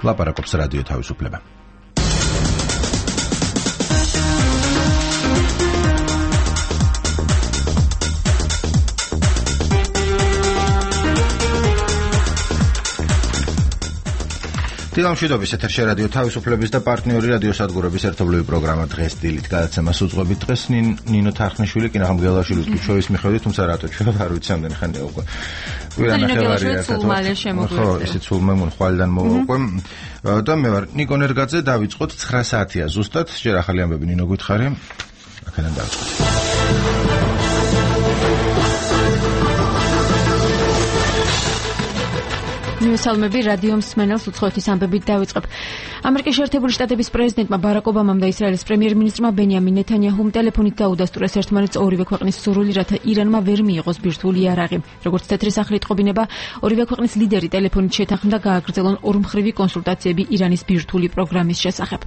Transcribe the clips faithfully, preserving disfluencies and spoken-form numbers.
ლაპარაკობს რადიო თავისუფლება. დილამშვიდობის ეთერში რადიო თავისუფლების და პარტნიორი რადიო სადგურების ერთობლივი პროგრამა დღეს დილით გადაცემას უძღვებით. დღეს ნინო თარხნიშვილი კი ნახამ გელაშვილის ჩვევის მიხედვით, თუმცა რატო ჩვენ არ ვიცი ამდენი ხანია უკვე. კვირა ნახევარია ხო ისიც სულმე მონხვალიდან მოვა უკვე. და მე ვარ ნიკო ნერგაძე, დავიწყოთ ცხრა საათია ზუსტად. ჯერ ახალი ამბები ნინო გითხარი. აქედან დავიწყოთ. მივესალმები რადიო მსმენელს უცხოეთის ამბებით დავიწყებ. ამერიკის შეერთებული შტატების პრეზიდენტმა ბარაკ ობამამ და ისრაელის პრემიერ-მინისტრმა ბენიამინ ნეთანიაჰუმ ტელეფონით დაუდასტურეს ერთმანეთს ორივე ქვეყნის სურვილი, რათა ირანმა ვერ მიიღოს ბირთვული იარაღი. როგორც თეთრი სახლი იტყობინება, ორივე ქვეყნის ლიდერი ტელეფონით შეთანხმდა გააგრძელონ ორმხრივი კონსულტაციები ირანის ბირთვული პროგრამის შესახებ.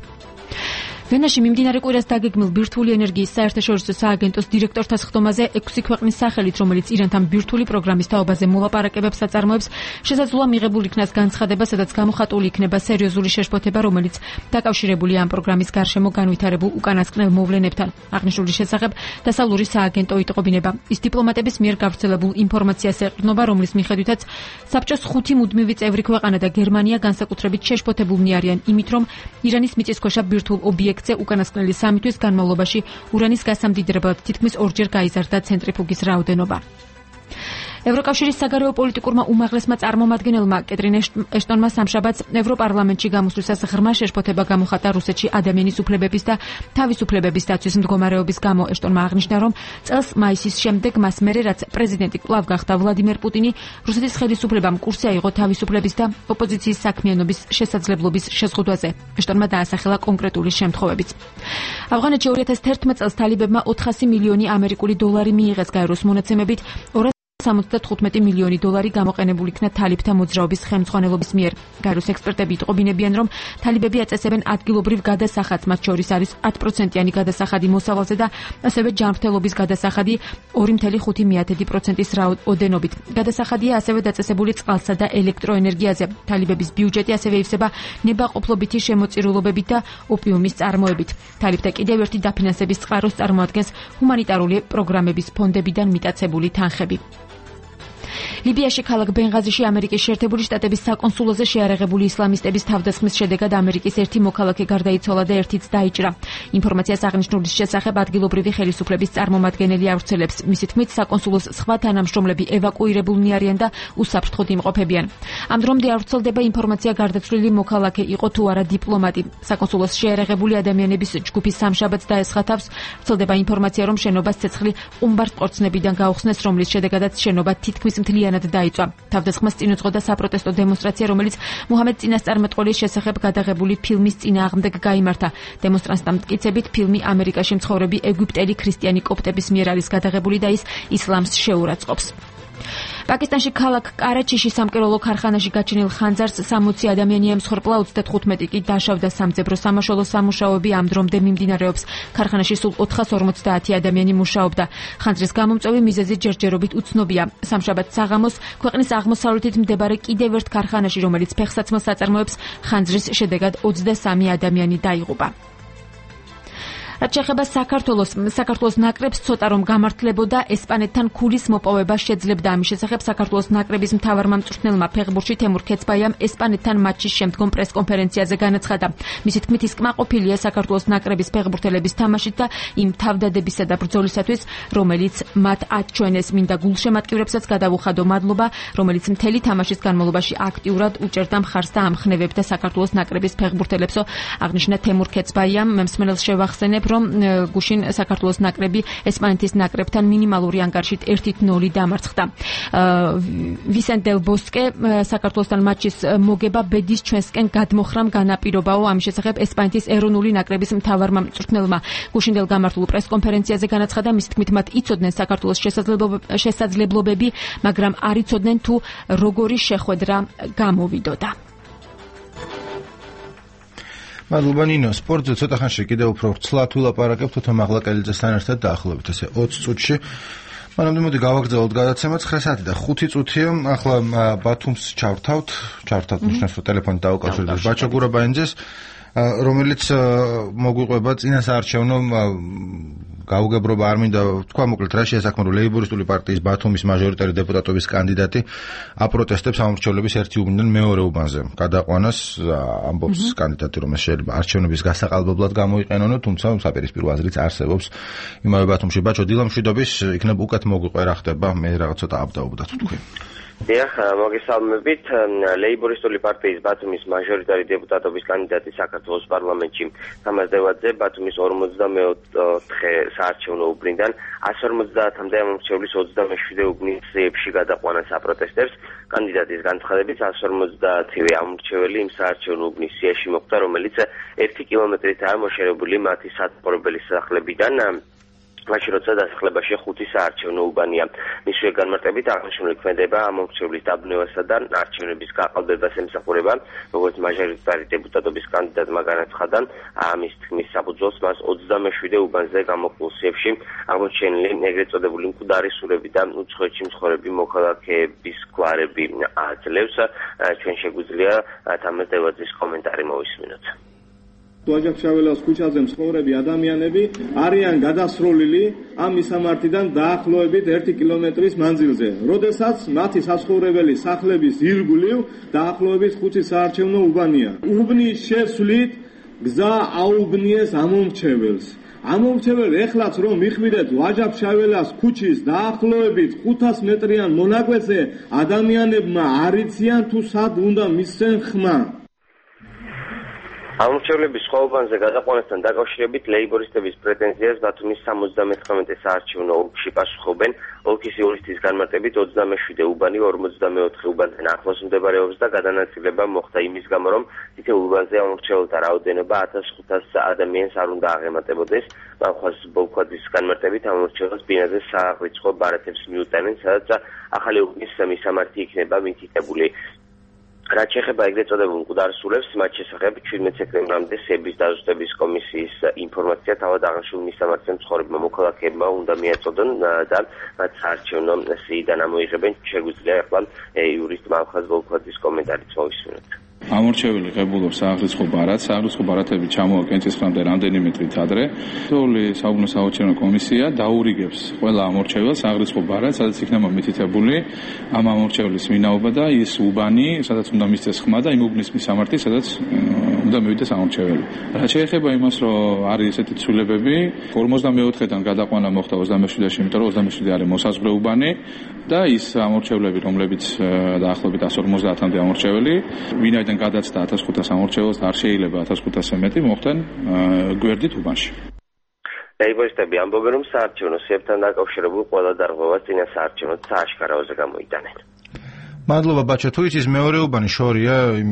ვენაში მიმდინარე კვირას დაგეგმილ ბირთვული ენერგიის საერთაშორისო სააგენტოს დირექტორთა სხდომაზე ექვსი ქვეყნის სახელით, რომელიც ირანთან ბირთვული პროგრამის თაობაზე მოლაპარაკებებს აწარმოებს, შესაძლოა მიღებულ იქნას განცხადება, სადაც გამოხატული იქნება სერიოზული შეშფოთება, რომელიც დაკავშირებულია ამ პროგრამის გარშემო განვითარებულ უკანასკნელ მოვლენებთან. აღნიშნული შესახებ დასავლური სააგენტო იტყობინება. ის დიპლომატების მიერ გავრცელებულ ინფორმაციას ეყრდნობა, რომლის მიხედვითაც საბჭოს ხუთი მუდმივი წევრი ქვეყანა და გერმანია განსაკუთრებით შეშფოთებულნი არიან იმით, რომ ირანის მიწისქვეშა ბირთვულ ობიექტ უკანასკნელი სამი თვის განმავლობაში ურანის გასამდიდრებლად თითქმის ორჯერ გაიზარდა ცენტრიფუგის რაოდენობა. ევროკავშირის საგარეო პოლიტიკურმა უმაღლესმა წარმომადგენელმა კეტრინ ეშტონმა სამშაბათს ევროპარლამენტში გამოსვლისას ღრმა შეშფოთება გამოხატა რუსეთში ადამიანის უფლებების და თავისუფლებების დაცვის მდგომარეობის გამო. ეშტონმა აღნიშნა, რომ წელს მაისის შემდეგ მას მერე რაც პრეზიდენტი კვლავ გახდა ვლადიმერ პუტინი, რუსეთის ხელისუფლებამ კურსი აიღო თავისუფლების და ოპოზიციის საქმიანობის შესაძლებლობის შეზღუდვაზე. ეშტონმა დაასახელა კონკრეტული შემთხვევებიც. ავღანეთში ორი ათას თერთმეტ წელს თალიბებმა ოთხასი მილიონი ამერიკული დოლარი მიიღეს გაეროს მონაცემებით, სამოცდათხუთმეტი მილიონი დოლარი გამოყენებული იქნა თალიბთა მოძრაობის ხელმძღვანელობის მიერ. გაეროს ექსპერტები იტყობინებიან, რომ თალიბები აწესებენ ადგილობრივ გადასახადს, მათ შორის არის ათი პროცენტიანი გადასახადი მოსავალზე და ასევე ჯანმრთელობის გადასახადი ორი კoma ხუთი პროცენტის რაოდენობით. გადასახადია ასევე დაწესებული წყალსა და ელექტროენერგიაზე. თალიბების ბიუჯეტი ასევე ივსება ნებაყოფლობითი შემოწირულობებით და ოპიუმის წარმოებით. თალიბთა კიდევ ერთი დაფინანსების წყაროს წარმოადგენს ჰუმანიტარული პროგრამების ფონდებიდან მიტაცებული თანხები. ლიბიაში ქალაქ ბენღაზიში ამერიკის შეერთებული შტატების საკონსულოზე შეარაღებული ისლამისტების თავდასხმის შედეგად ამერიკის ერთი მოქალაქე გარდაიცვალა და ერთიც დაიჭრა. ინფორმაციას აღნიშნულის შესახებ ადგილობრივი ხელისუფლების წარმომადგენელი ავრცელებს. მისი თქმით, საკონსულოს სხვა თანამშრომლები ევაკუირებულნი არიან და უსაფრთხოდ იმყოფებიან. ამ დრომდე არ ვრცელდება ინფორმაცია გარდაცვლილი მოქალაქე იყო თუ არა დიპლომატი. საკონსულოს შეარაღებული ადამიანების ჯგუფი სამშაბათს დაესხა თავს. ვრცელდება ინფორმაცია, რომ შენობას ცეცხლი ყუმბარწყორცნებიდან გაუხსნეს, რომლის შედეგადაც შენობა თითქმის მთლიანად დაიწვა. თავდასხმას წინ უძღოდა საპროტესტო დემონსტრაცია, რომელიც მუჰამედ წინასწარმეტყველის შესახებ გადაღებული ფილმის წინააღმდეგ გაიმართა. დემონსტრანტთა მტკიცებით, ფილმი ამერიკაში მცხოვრები ეგვიპტელი ქრისტიანი კოპტების მიერ არის გადაღებული და ის ისლამს შეურაცხყოფს. პაკისტანში ქალაქ კარაჩიში სამკეროლო ქარხანაში გაჩენილ ხანძარს სამოცი ადამიანი ემსხვერპლა, ოცდათხუთმეტი კი დაშავდა. სამძებრო სამაშველო სამუშაოები ამ დრომდე მიმდინარეობს. ქარხანაში სულ ოთხას ორმოცდაათი ადამიანი მუშაობდა. ხანძრის გამომწვევი მიზეზი ჯერჯერობით უცნობია. სამშაბათს საღამოს ქვეყნის აღმოსავლეთით მდებარე კიდევ ერთ ქარხანაში, რომელიც ფეხსაცმელს აწარმოებს, ხანძრის შედეგად ოცდასამი ადამიანი დაიღუპა. რაც შეეხება საქართველოს, საქართველოს ნაკრებს ცოტა რომ გამართლებოდა ესპანეთთან ქულის მოპოვება შეძლებდა. ამის შესახებ საქართველოს ნაკრების მთავარმა მწვრთნელმა ფეხბურთში თემურ ქეცბაიამ ესპანეთთან მატჩის შემდგომ პრესკონფერენციაზე განაცხადა. მისი თქმით, ის კმაყოფილია საქართველოს ნაკრების ფეხბურთელების თამაშით და იმ თავდადებისა და ბრძოლისათვის, რომელიც მათ აჩვენეს. მინდა გულშემატკივრებსაც გადავუხადო მადლობა, რომელიც მთელი თამაშის განმავლობაში აქტიურად უჭერდა მხარს და ამხნევებდა საქართველოს ნაკრების ფეხბურთელებსო. აღნიშნა თემურ ქეცბაიამ. მემსმენელს შევახსენებ, რომ გუშინ საქართველოს ნაკრები ესპანეთის ნაკრებთან მინიმალური ანგარიშით ერთი ნული დამარცხდა. ვისენტ დელ ბოსკე საქართველოსთან მატჩის მოგება ბედის ჩვენსკენ გადმოხრამ განაპირობაო. ამის შესახებ ესპანეთის ეროვნული ნაკრების მთავარმა მწვრთნელმა გუშინდელ გამართულ პრესკონფერენციაზე განაცხადა, მის თქმით, მათ იცოდნენ საქართველოს შესაძლებლობები, მაგრამ არ იცოდნენ თუ როგორი შეხვედრა გამოვიდოდა. მადლობა ნინო. სპორტზე ცოტა ხანში კიდევ უფრო ცლად ვილაპარაკებთ თოთა მაღლაკელიძესთან ერთად დაახლოებით ესე ოცი წუთში. მანამდე მოდი გავაგრძელოთ გადაცემა ცხრა საათი და ხუთი წუთია. ახლა ბათუმს ჩავრთავთ, ჩავრთავთ ნიშნავს რომ ტელეფონით დავუკავშირდეთ ბაჩო გურაბაინძეს, რომელიც მოგვიყვება წინასაარჩევნო გაუგებრობა არ მინდა თქვა, მოკლედ რა შეასახმა რომ ლეიბორისტული პარტიის ბათუმის მაჟორიტარი დეპუტატობის კანდიდატი აპროტესტებს ამორჩევლების ერთი უბნიდან მეორე უბანზე გადაყვანას, ამბობს კანდიდატი რომ ეს შეიძლება არჩევნების გასაყალბებლად გამოიყენონ, თუმცა საპირისპირო აზრიც არსებობს იმავე ბათუმში. ბაჩო, დილამშვიდობის, იქნებ უკეთ მოგვიყვე რა ხდება, მე რაღაც ცოტა აბდაობდათ თქვი. დიახ, მოგესალმებით. ლეიბორისტული პარტიის ბათუმის მაჟორიტარი დეპუტატობის კანდიდატი საქართველოს პარლამენტში თამაზ დევაძე ბათუმის ორმოცდამეოთხე საარჩევნო უბნიდან ასი ორმოცდაათამდე ამორჩევლის ოცდამეშვიდე უბნის ძიებში გადაყვანას აპროტესტებს. კანდიდატის განცხადებით ასი ორმოცდაათივე ამორჩეველი იმ საარჩევნო უბნის სიაში მოხვდა, რომელიც ერთი კილომეტრითაა მოშორებული მათი საცხოვრებელი სახლებიდან. მაშინ როცა დასახლებაში ხუთი საარჩევნო უბანია. მისივე განმარტებით აღნიშნული ქმედება ამორჩევლის დაბნევასა და არჩევნების გაყალბებას ემსახურება, როგორც მაჟორიტარი დეპუტატობის კანდიდატმა განაცხადა. ამის თქმის საფუძველს მას ოცდამეშვიდე უბანზე გამოყულ სიებში აღმოჩენილი ეგრეთ წოდებული მკვდარი სურები და უცხოეთში მცხოვრები მოქალაქეების გვარები აძლევს. ჩვენ შეგვიძლია თამაზ დევაძის კომენტარი მოვისმინოთ. ვაჯახშაველას ქუჩაზე მცხოვრები ადამიანები არიან გადასროლილი ამ მისამართიდან დაახლოებით ერთი კილომეტრის მანძილზე. როდესაც მათი საცხოვრებელი სახლების ირგვლივ დაახლოებით ხუთი საარჩევნო უბანია. უბნის შესვლით გზა აუბნიეს ამომრჩეველს. ამომრჩეველ ეხლაც რომ მიხვიდეთ ვაჯახშაველას ქუჩის დაახლოებით ხუთას მეტრიან მონაკვეთზე, ადამიანებმა არ იციან თუ სად უნდა მისცენ ხმა. ამორჩევლების სხვა უბანზე გადაყვანასთან დაკავშირებით ლეიბორისტების პრეტენზიას ბათუმის სამოცდამეთხრამეტე საარჩევნო ოლქში პასუხობენ. ოლქის იურისტის განმარტებით ოცდამეშვიდე უბანი ორმოცდამეოთხე უბანთან ახლოს მდებარეობს და გადანაწილება მოხდა იმის გამო, რომ თითოეულ უბანზე ამორჩეველთა რაოდენობა ათას ხუთას ადამიანს არ უნდა აღემატებოდეს. მახვალს ბოლქვაძის განმარტებით ამორჩეველს ბინაზე სააღრიცხვო ბარათებს მიუტანენ, სადაც ახალი უბნის მისამართი იქნება მითითებული. რაც შეეხება ეგრეთ წოდებულ მკვდარ სულებს, მათ შესახებ შვიდმეტ სექტემბრამდე სების დაზუსტების კომისიის ინფორმაცია თავად აღნიშნულ მისამართზე მცხოვრებმა მოქალაქეებმა უნდა მიაწოდონ და მათ საარჩევნო სიიდან ამოიღებენ. შეგვიძლია ახლა იურისტ მახვალ ბოლქვაძის კომენტარიც მოვისმინოთ. ამორჩეველი ღებულობს სააღრიცხვო ბარათს, სააღრიცხვო ბარათები ჩამოაყენს ცხრამდე რამდენიმე თვით ადრე. თითოეული საუბნო საარჩევნო კომისია დაურიგებს ყველა ამორჩეველს სააღრიცხვო ბარათს, სადაც იქნება მითითებული ამ ამორჩეველის ვინაობა და ის უბანი, სადაც უნდა მისცეს ხმა და იმ უბნის მისამართი, სადაც უნდა მივიდეს ამორჩეველი. რაც შეეხება იმას, რომ არის ესეთი ცვლილებები, ორმოცდამეოთხედან გადაყვანა მოხდა ოცდამეშვიდეში, იმიტომ რომ ოცდამეშვიდე არის მოსაზღვრე უბანი და ის ამორჩევლები, რომლებიც დაახლოებით ასი ორმოცდაათამდე ამორჩეველი, ვინაიდან გადაცდა ათას ხუთას ამორჩეველს და არ შეიძლება ათას ხუთასზე მეტი მოხდნენ გვერდით უბანში. ლეიბორისტები ამბობენ, რომ საარჩევნო სიებთან დაკავშირებულ ყველა დარღვევას წინა საარჩევნო სააშკარაოზე გამოიტანენ. მადლობა ბაჩო, თუ იცის მეორე უბანი შორია იმ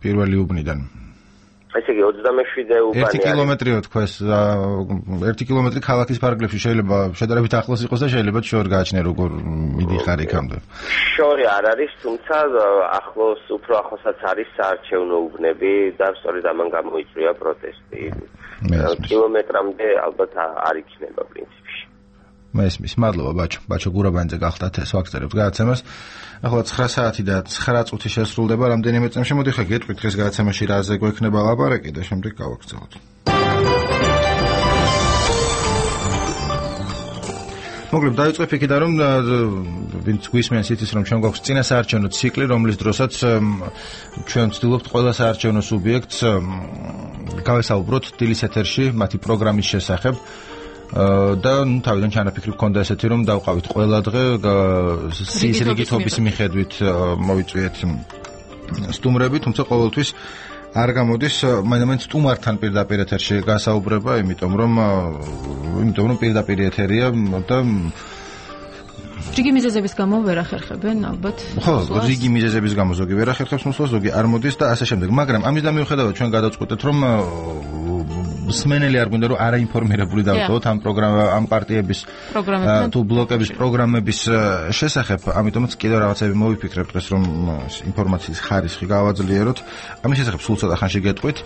პირველი უბნიდან. ესე იგი ოცდამეშვიდე უბანი ერთი კილომეტრიო თქვეს, ერთი კილომეტრი ქალაქის ფარგლებში შეიძლება შედარებით ახლოს იყოს და შეიძლება შორი გააჩნია როგორ მიდიხარ იქამდე. შორი არ არის, თუმცა ახლოს, უფრო ახლოსაც არის საარჩევნო უბნები და სწორედ ამან გამოიწვია პროტესტი. კილომეტრამდე ალბათ არ იქნება პრინციპში. მესმის, მადლობა ბაჩო. ბაჩო გურაბაინძე გახდათ ეს ვაგზალებთ გადაცემას. ახლა ცხრა საათი და ცხრა წუთი შესრულდება რამდენიმე წამში. მოდი ხა გეტყვით დღეს გადაცემაში რაზე გვექნება ლაპარაკი და შემდეგ გავაგრძელოთ. მოკლედ დავიწყებ იქიდან, რომ ვინც გვისმენს იცის, რომ ჩვენ გვაქვს წინა საარჩევნო ციკლი, რომლის დროსაც ჩვენ ვცდილობთ ყველა საარჩევნო სუბიექტს გავესაუბროთ დილის ეთერში მათი პროგრამის შესახებ. და ნუ თავიდან ჩანაფიქრი გქონდა ესეთი, რომ დავყავით ყველა დღე სიის რიგითობის მიხედვით მოვიწვიეთ სტუმრები, თუმცა ყოველთვის არ გამოდის მაინც სტუმართან პირდაპირ ეთერში გასაუბრება, იმიტომ რომ იმიტომ რომ პირდაპირ ეთერია და რიგი მიზეზების გამო ვერ ახერხებენ ალბათ. ხო, რიგი მიზეზების გამო ზოგი ვერ ახერხებს მოსვლას, ზოგი არ მოდის და ასე შემდეგ. მაგრამ ამის და მიუხედავად ჩვენ გადავწყვეტეთ, რომ მსმენელი არ გვინდა რომ არაინფორმირებული დავტოვოთ ამ პროგრამა ამ პარტიების თუ ბლოკების პროგრამების შესახებ, ამიტომაც კიდევ რაღაცები მოვიფიქრებთ დღეს, რომ ინფორმაციის ხარისხი გავაძლიეროთ. ამის შესახებ სულ ცოტა ხანში გეტყვით.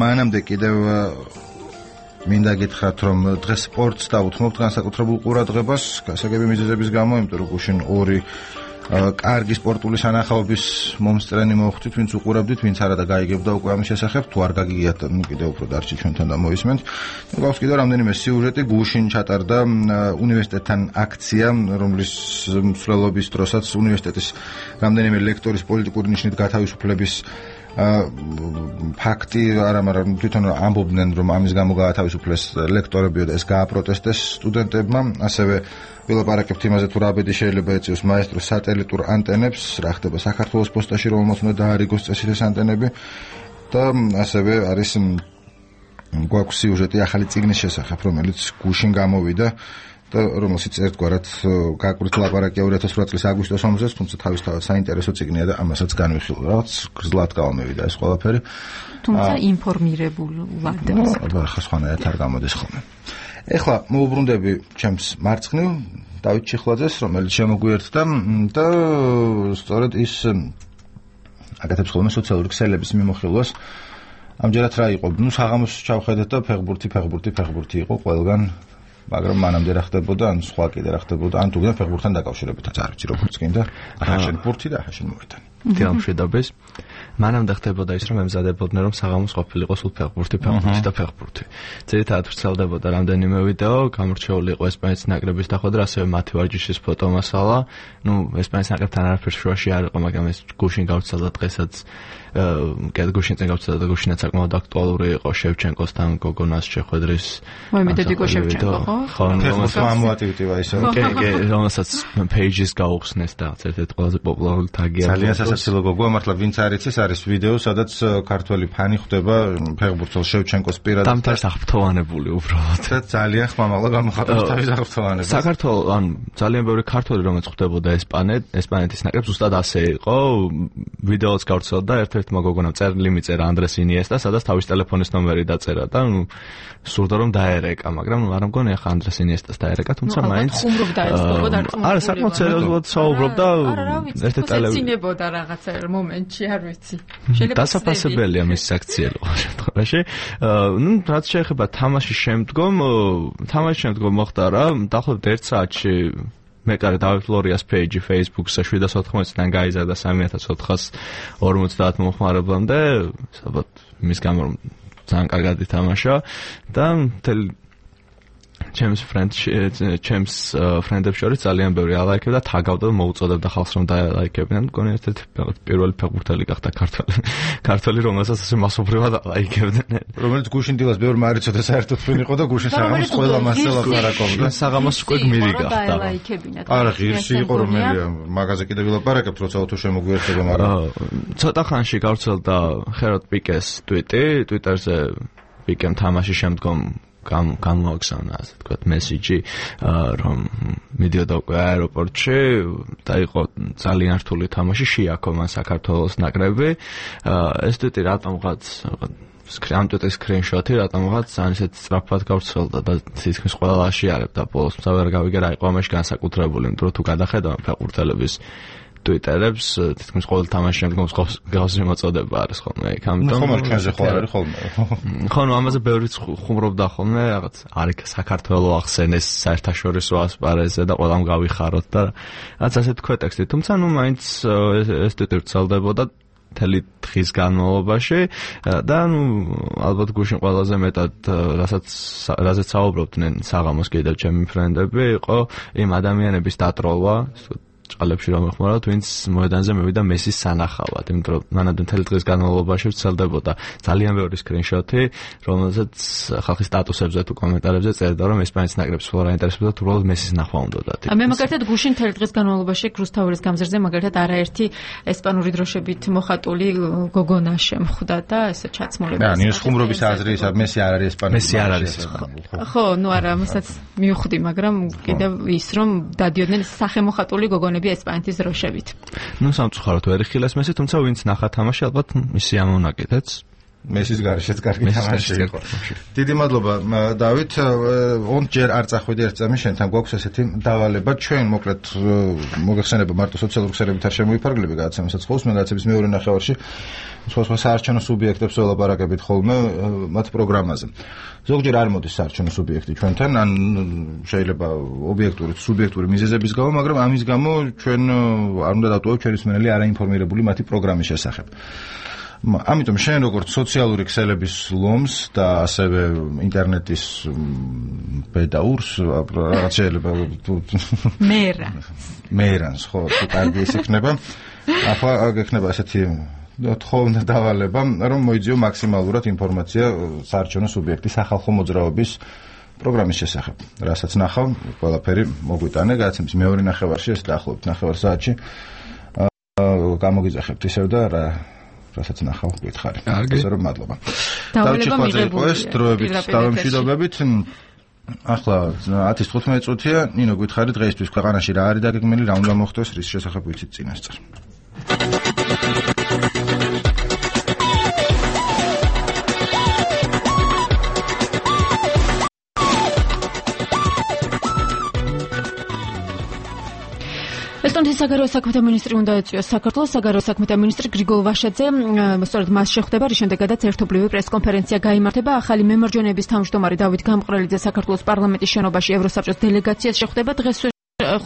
მანამდე კიდევ მინდა გითხრათ, რომ დღეს სპორტს დავუთმობთ განსაკუთრებულ ყურადღებას, გასაგები მიზეზების გამო, იმიტომ რომ გუშინ ორი კარგი სპორტული სანახაობის მომსწრენი მოხვდით, ვინც უყურებდით, ვინც არა და გაიგებდა უკვე ამის შესახებ, თუ არ გაგიგიათ, ნუ კიდევ უფრო დარჩი ჩვენთან და მოისმენთ. გვაქვს კიდევ რამდენიმე სიუჟეტი, გუშინ ჩატარდა უნივერსიტეტთან აქცია, რომლის მსვლელობის დროსაც უნივერსიტეტის რამდენიმე ლექტორის პოლიტიკური ნიშნით გათავისუფლების ფაქტი არა, მაგრამ თვითონ ამბობდნენ, რომ ამის გამო გაათავისუფლეს ლექტორებიო და ეს გააპროტესტეს სტუდენტებმა, ასევე ვილაპარაკებთ იმაზე, თუ რა ბედი შეიძლება ეწიოს მაესტროს სატელიტურ ანტენებს, რა ხდება საქართველოს პოსტაში, რომელმაც უნდა დაარიგოს წესით ეს ანტენები და ასევე არის გვაქვს სიუჟეტი ახალი წიგნის შესახებ, რომელიც გუშინ გამოვიდა და რომელშიც ერთგვარად გაკვირთ ლაპარაკია ორი ათას ოთხ წლის აგვისტოს ომზეც, თუმცა თავისთავად საინტერესო წიგნია და ამასაც განვიხილო. რაღაც გრძლად გამოვიდა ეს ყველაფერი. თუმცა ინფორმირებულად. ახლა სხვანაირად არ გამოდის ხოლმე. ეხლა მოუბრუნდები ჩემს მარცხნივ დავით ჩიხლაძეს, რომელიც შემოგვიერთდა და სწორედ ის აკეთებს ხოლმე სოციალური ქსელების მიმოხილვას. ამჯერად რა იყო? ნუ საღამოს ჩავხედეთ და ფეხბურთი, ფეხბურთი, ფეხბურთი იყო ყველგან. მაგრამ მანამდე რა ხდებოდა, ან სხვა კიდე რა ხდებოდა, ან თუ გინდა ფეხბურთთან დაკავშირებითაც არ ვიცი როგორც გინდა, ახაშენ ბურთი და ახაშენ მოედანი. თამშვიდობის. მანამდე ხდებოდა ის, რომ ემზადებოდნენ, რომ საღამოს ყოფილიყო სულ ფეხბურთი, ფეხბურთი და ფეხბურთი. ძირითადად ვრცელდებოდა რამდენიმე ვიდეო, გამორჩეული იყო ესპანეთის ნაკრების დახვედრა, ასევე მათი ვარჯიშის ფოტომასალა. ნუ ესპანეთის ნაკრებთან არაფერს შუაში არ იყო, მაგრამ ეს გუშინ გავრცელდა დღესაც. კიდე გუშინ წინ გავრცელდა და გუშინაც საკმაოდ აქტუალური იყო შევჩენკოსთან გოგონას შეხვედრის. მოიმედად იყო შევჩენკო, ხო? ხო, რომელსაც ამოატივტივა ისე. კი, კი, რომელსაც pages გაუხსნეს და ერთ-ერთი ყველაზე პოპულარული თაგია. ძალიან სასაცილო გოგოა, მართლა ვინც არ იცის, არის ვიდეო, სადაც ქართველი ფანი ხვდება ფეხბურთელ შევჩენკოს პირადად. დამთარს აღფრთოვანებული უბრალოდ. და ძალიან ხმამაღლა გამოხატავს თავის აღფრთოვანებას. საქართველოს ან ძალიან ბევრი ქართველი რომელიც ხვდებოდა ესპანეთ, ესპანეთის ნაკრებს ზუსტად ასე იყო. ვიდეოც გავრცელდა ერთ-ერთმა გოგონამ წერილი მიწერა ანდრეს ინიესტა, სადაც თავის ტელეფონის ნომერი დაწერა და ნუ სურდა რომ დაერეკა, მაგრამ ნუ არ მგონია ხა ანდრეს ინიესტას დაერეკა, თუმცა მაინც ხუმრობდა ეს გოგო და არა, საკმაოდ სერიოზულად საუბრობდა ერთ ტელევიზორში. ეცინებოდა რაღაცა მომენტში, არ ვიცი. დასაფასებელია მის აქციელო შემთხვევაში. ნუ რაც შეეხება თამაშის შემდგომ, თამაშის შემდგომ მოხდა რა, დაახლოებით ერთ საათში მეკარე დავით ლორიას პეიჯი Facebook-ზე შვიდას ოთხმოცდან გაიზარდა სამი ათას ოთხას ორმოცდაათ მომხმარებლამდე, საბათ მის გამო ძალიან კარგად ითამაშა და მთელი ჩემს ფრენდს ჩემს ფრენდებს შორის ძალიან ბევრი ალაიქებდა, თაგავდა და მოუწოდებდა ხალხს რომ დაალაიქებინან. მგონი ერთ-ერთი პირველი ფეხბურთელი გახდა ქართველი, ქართველი რომელსაც ასე მასობრივად ალაიქებდნენ. რომელიც გუშინ დილას ბევრმა არ იცოდა საერთოდ ვინ იყო და გუშინ საღამოს ყველა მასზე ლაპარაკობდა. საღამოს უკვე გმირი გახდა. არა, ღირსი იყო რომელია, მაგაზე კიდევ ვილაპარაკებთ, როცა უთო შემოგვიერთდება, მაგრამ ცოტა ხანში გავრცელდა ხეროდ პიკეს ტვიტი, ტვიტერზე პიკემ თამაშის შემდგომ გამოაგზავნა, ასე ვთქვათ, მესიჯი, რომ მიდიოდა უკვე აეროპორტში და იყო ძალიან რთული თამაში, შეაქო მან საქართველოს ნაკრები. ეს ტვიტი რატომღაც ამ ტვიტის სკრინშოტი რატომღაც ძალიან ისეთ სწრაფად გავრცელდა და თითქმის ყველა აშიარებდა ბოლოს, თუმცა ვერ გავიგე რა იყო ამაში განსაკუთრებული, იმიტომ რომ თუ გადახედავ ფეხბურთელების ტვიტერებს, თითქმის ყოველ თამაშის შემდგომ გასული მოწოდება არის ხოლმე იქ, ამიტომ ხომ არ ჩვენზე ხო არის ხოლმე. ხო, ნუ ამაზე ბევრიც ხუმრობდა ხოლმე, რაღაც არ იქ საქართველოს ახსენეს საერთაშორისო ასპარეზზე და ყველამ გავიხაროთ და რაც ასე თქვა ტექსტი, თუმცა ნუ მაინც ეს ტვიტი ვრცელდებოდა მთელი დღის განმავლობაში და ნუ ალბათ გუშინ ყველაზე მეტად რასაც რაზეც საუბრობდნენ საღამოს კიდევ ჩემი ფრენდები, იყო იმ ადამიანების დატროლვა, ჭყალებში რომ ეხმაროთ, ვინც მოედანზე მივიდა მესის სანახავად, იმიტომ რომ მანამდე მთელი დღის განმავლობაში ვრცელდებოდა ძალიან ბევრი სკრინშოტი, რომელზეც ხალხის სტატუსებზე თუ კომენტარებზე წერდა, რომ ესპანეთის ნაკრებს სულ არ აინტერესებდა, თუ უბრალოდ მესის ნახვა უნდათ. მე მაგალითად გუშინ მთელი დღის განმავლობაში რუსთაველის გამზირზე მაგალითად არაერთი ესპანური დროშებით მოხატული გოგონა შემხვდა და ესე ჩაცმულები. და ნიუს ხუმრობის აზრი ისა მესი არ არის ესპანური. მესი არ არის. ხო, ნუ არა, მასაც მივხვდი, მაგრამ კიდევ ის რომ დადიოდნენ სახელმოხატული გოგონები ესპანეთის დროშებით. ნუ სამწუხაროდ ვერ იხილეს მესი, თუმცა ვინც ნახა თამაში, ალბათ მისი ამონაკიდეც. მესის გარეშეც კარგი თამაში იყო. დიდი მადლობა დავით. ორჯერ არ წახვიდი ერთ წამი შენთან გვაქვს ესეთი დავალება ჩვენ მოკლედ მოგეხსენება მარტო სოციალურ ქსელებით არ შემოიფარგლები გადაცემასაც ხოლმე მე გადაცემის მეორე ნახევარში სხვა სხვა საარჩევნო სუბიექტებს ველაპარაკებით ხოლმე მათ პროგრამაზე. ზოგჯერ არ მოდის საარჩევნო სუბიექტი ჩვენთან ან შეიძლება ობიექტური სუბიექტური მიზეზების გამო, მაგრამ ამის გამო ჩვენ არ უნდა დავტოვოთ ჩვენი მსმენელი არაინფორმირებული მათი პროგრამის შესახებ. ამიტომ შენ როგორც სოციალური ქსელების ლომს და ასევე ინტერნეტის პედაურს რაღაც შეიძლება მერანს მერანს ხო კარგი ის იქნება ახლა გექნება ასეთი თხოვნა დავალება რომ მოიძიო მაქსიმალურად ინფორმაცია საარჩევნო სუბიექტის სახალხო მოძრაობის პროგრამის შესახებ რასაც ნახავ ყველაფერი მოგვიტანე გადაცემის მეორე ნახევარში ეს დაახლოებით ნახევარ საათში გამოგიძახებთ ისევ და რა რასაც ნახავ გითხარი. ასე რომ მადლობა. დავალება მიღებული. ეს დროებით დავამშვიდობებით. ახლა ათი თხუთმეტი წუთია, ნინო გითხარი დღეისთვის ქვეყანაში რა არის დაგეგმილი, რა უნდა მოხდეს, რის შესახებ ვიცით წინასწარ. ესტონეთის საგარეო საქმეთა მინისტრი უნდა ეწვიოს საქართველოს საგარეო საქმეთა მინისტრი გრიგოლ ვაშაძე სწორედ მას შეხვდება რის შემდეგაც ერთობლივი პრესკონფერენცია გაიმართება ახალი მემარჯვენეების თავმჯდომარე დავით გამყრელიძე საქართველოს პარლამენტის შენობაში ევროსაბჭოს დელეგაციას შეხვდება დღეს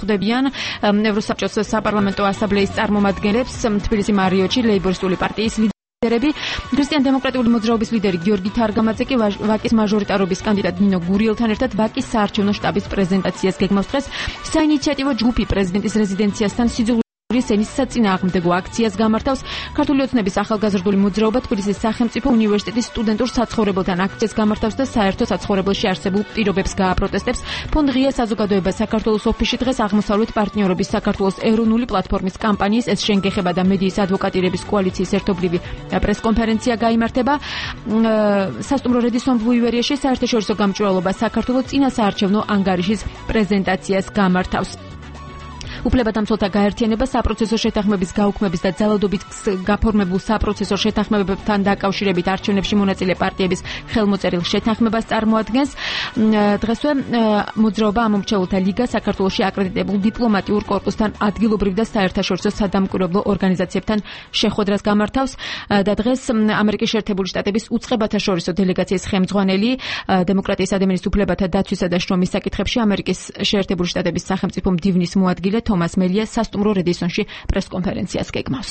ხვდებიან ევროსაბჭოს საპარლამენტო ასამბლეის წარმომადგენლებს თბილისი მარიოტში ლეიბორისტული პარტიის ქრისტიან დემოკრატიული მოძრაობის ლიდერი გიორგი თარგამაძე კი ვაკის მაჟორიტარობის კანდიდატ ნინო გურიელთან ერთად ვაკის საარჩევნო შტაბის პრეზენტაციას გეგმავს დღეს საინიციატივო ჯგუფი პრეზიდენტის რეზიდენციასთან სიძულვით ენის საწინააღმდეგო აქციას გამართავს. ქართული ოცნების ახალგაზრდული მოძრაობა თბილისის სახელმწიფო უნივერსიტეტის სტუდენტურ საცხოვრებელთან აქციას გამართავს და საერთო საცხოვრებელში არსებულ პირობებს გააპროტესტებს. ფონდ ღია საზოგადოება საქართველოს ოფისში დღეს აღმოსავლეთ პარტნიორობის საქართველოს ეროვნული პლატფორმის კამპანიის ეს შენგეხება და მედიის ადვოკატირების კოალიციის ერთობლივი პრესკონფერენცია გაიმართება. სასტუმრო რედისონ ბუივერიაში საერთაშორისო გამჭვირვალობა საქართველოს წინა საარჩევნო ანგარიშის პრეზენტაციას გამართავს. უფლებადამცველთა გაერთიანება საპროცესო შეთანხმების გაუქმების და ძალადობით გაფორმებულ საპროცესო შეთანხმებებთან დაკავშირებით არჩევნებში მონაწილე პარტიების ხელმოწერილ შეთანხმებას წარმოადგენს. დღესვე მოძრაობა ამომრჩეველთა ლიგა საქართველოში აკრედიტებულ დიპლომატიურ კორპუსთან ადგილობრივ და საერთაშორისო სადამკვირვებლო ორგანიზაციებთან შეხვედრას გამართავს და დღეს ამერიკის შეერთებული შტატების უწყებათა შორისო დელეგაციის ხელმძღვანელი დემოკრატიის ადამიანის უფლებათა დაცვისა და შრომის საკითხებში ამერიკის შეერთებული შტატების სახელმწიფო მდივნის მოადგილე თომას მელია სასტუმრო რედისონში პრესკონფერენციას გეგმავს.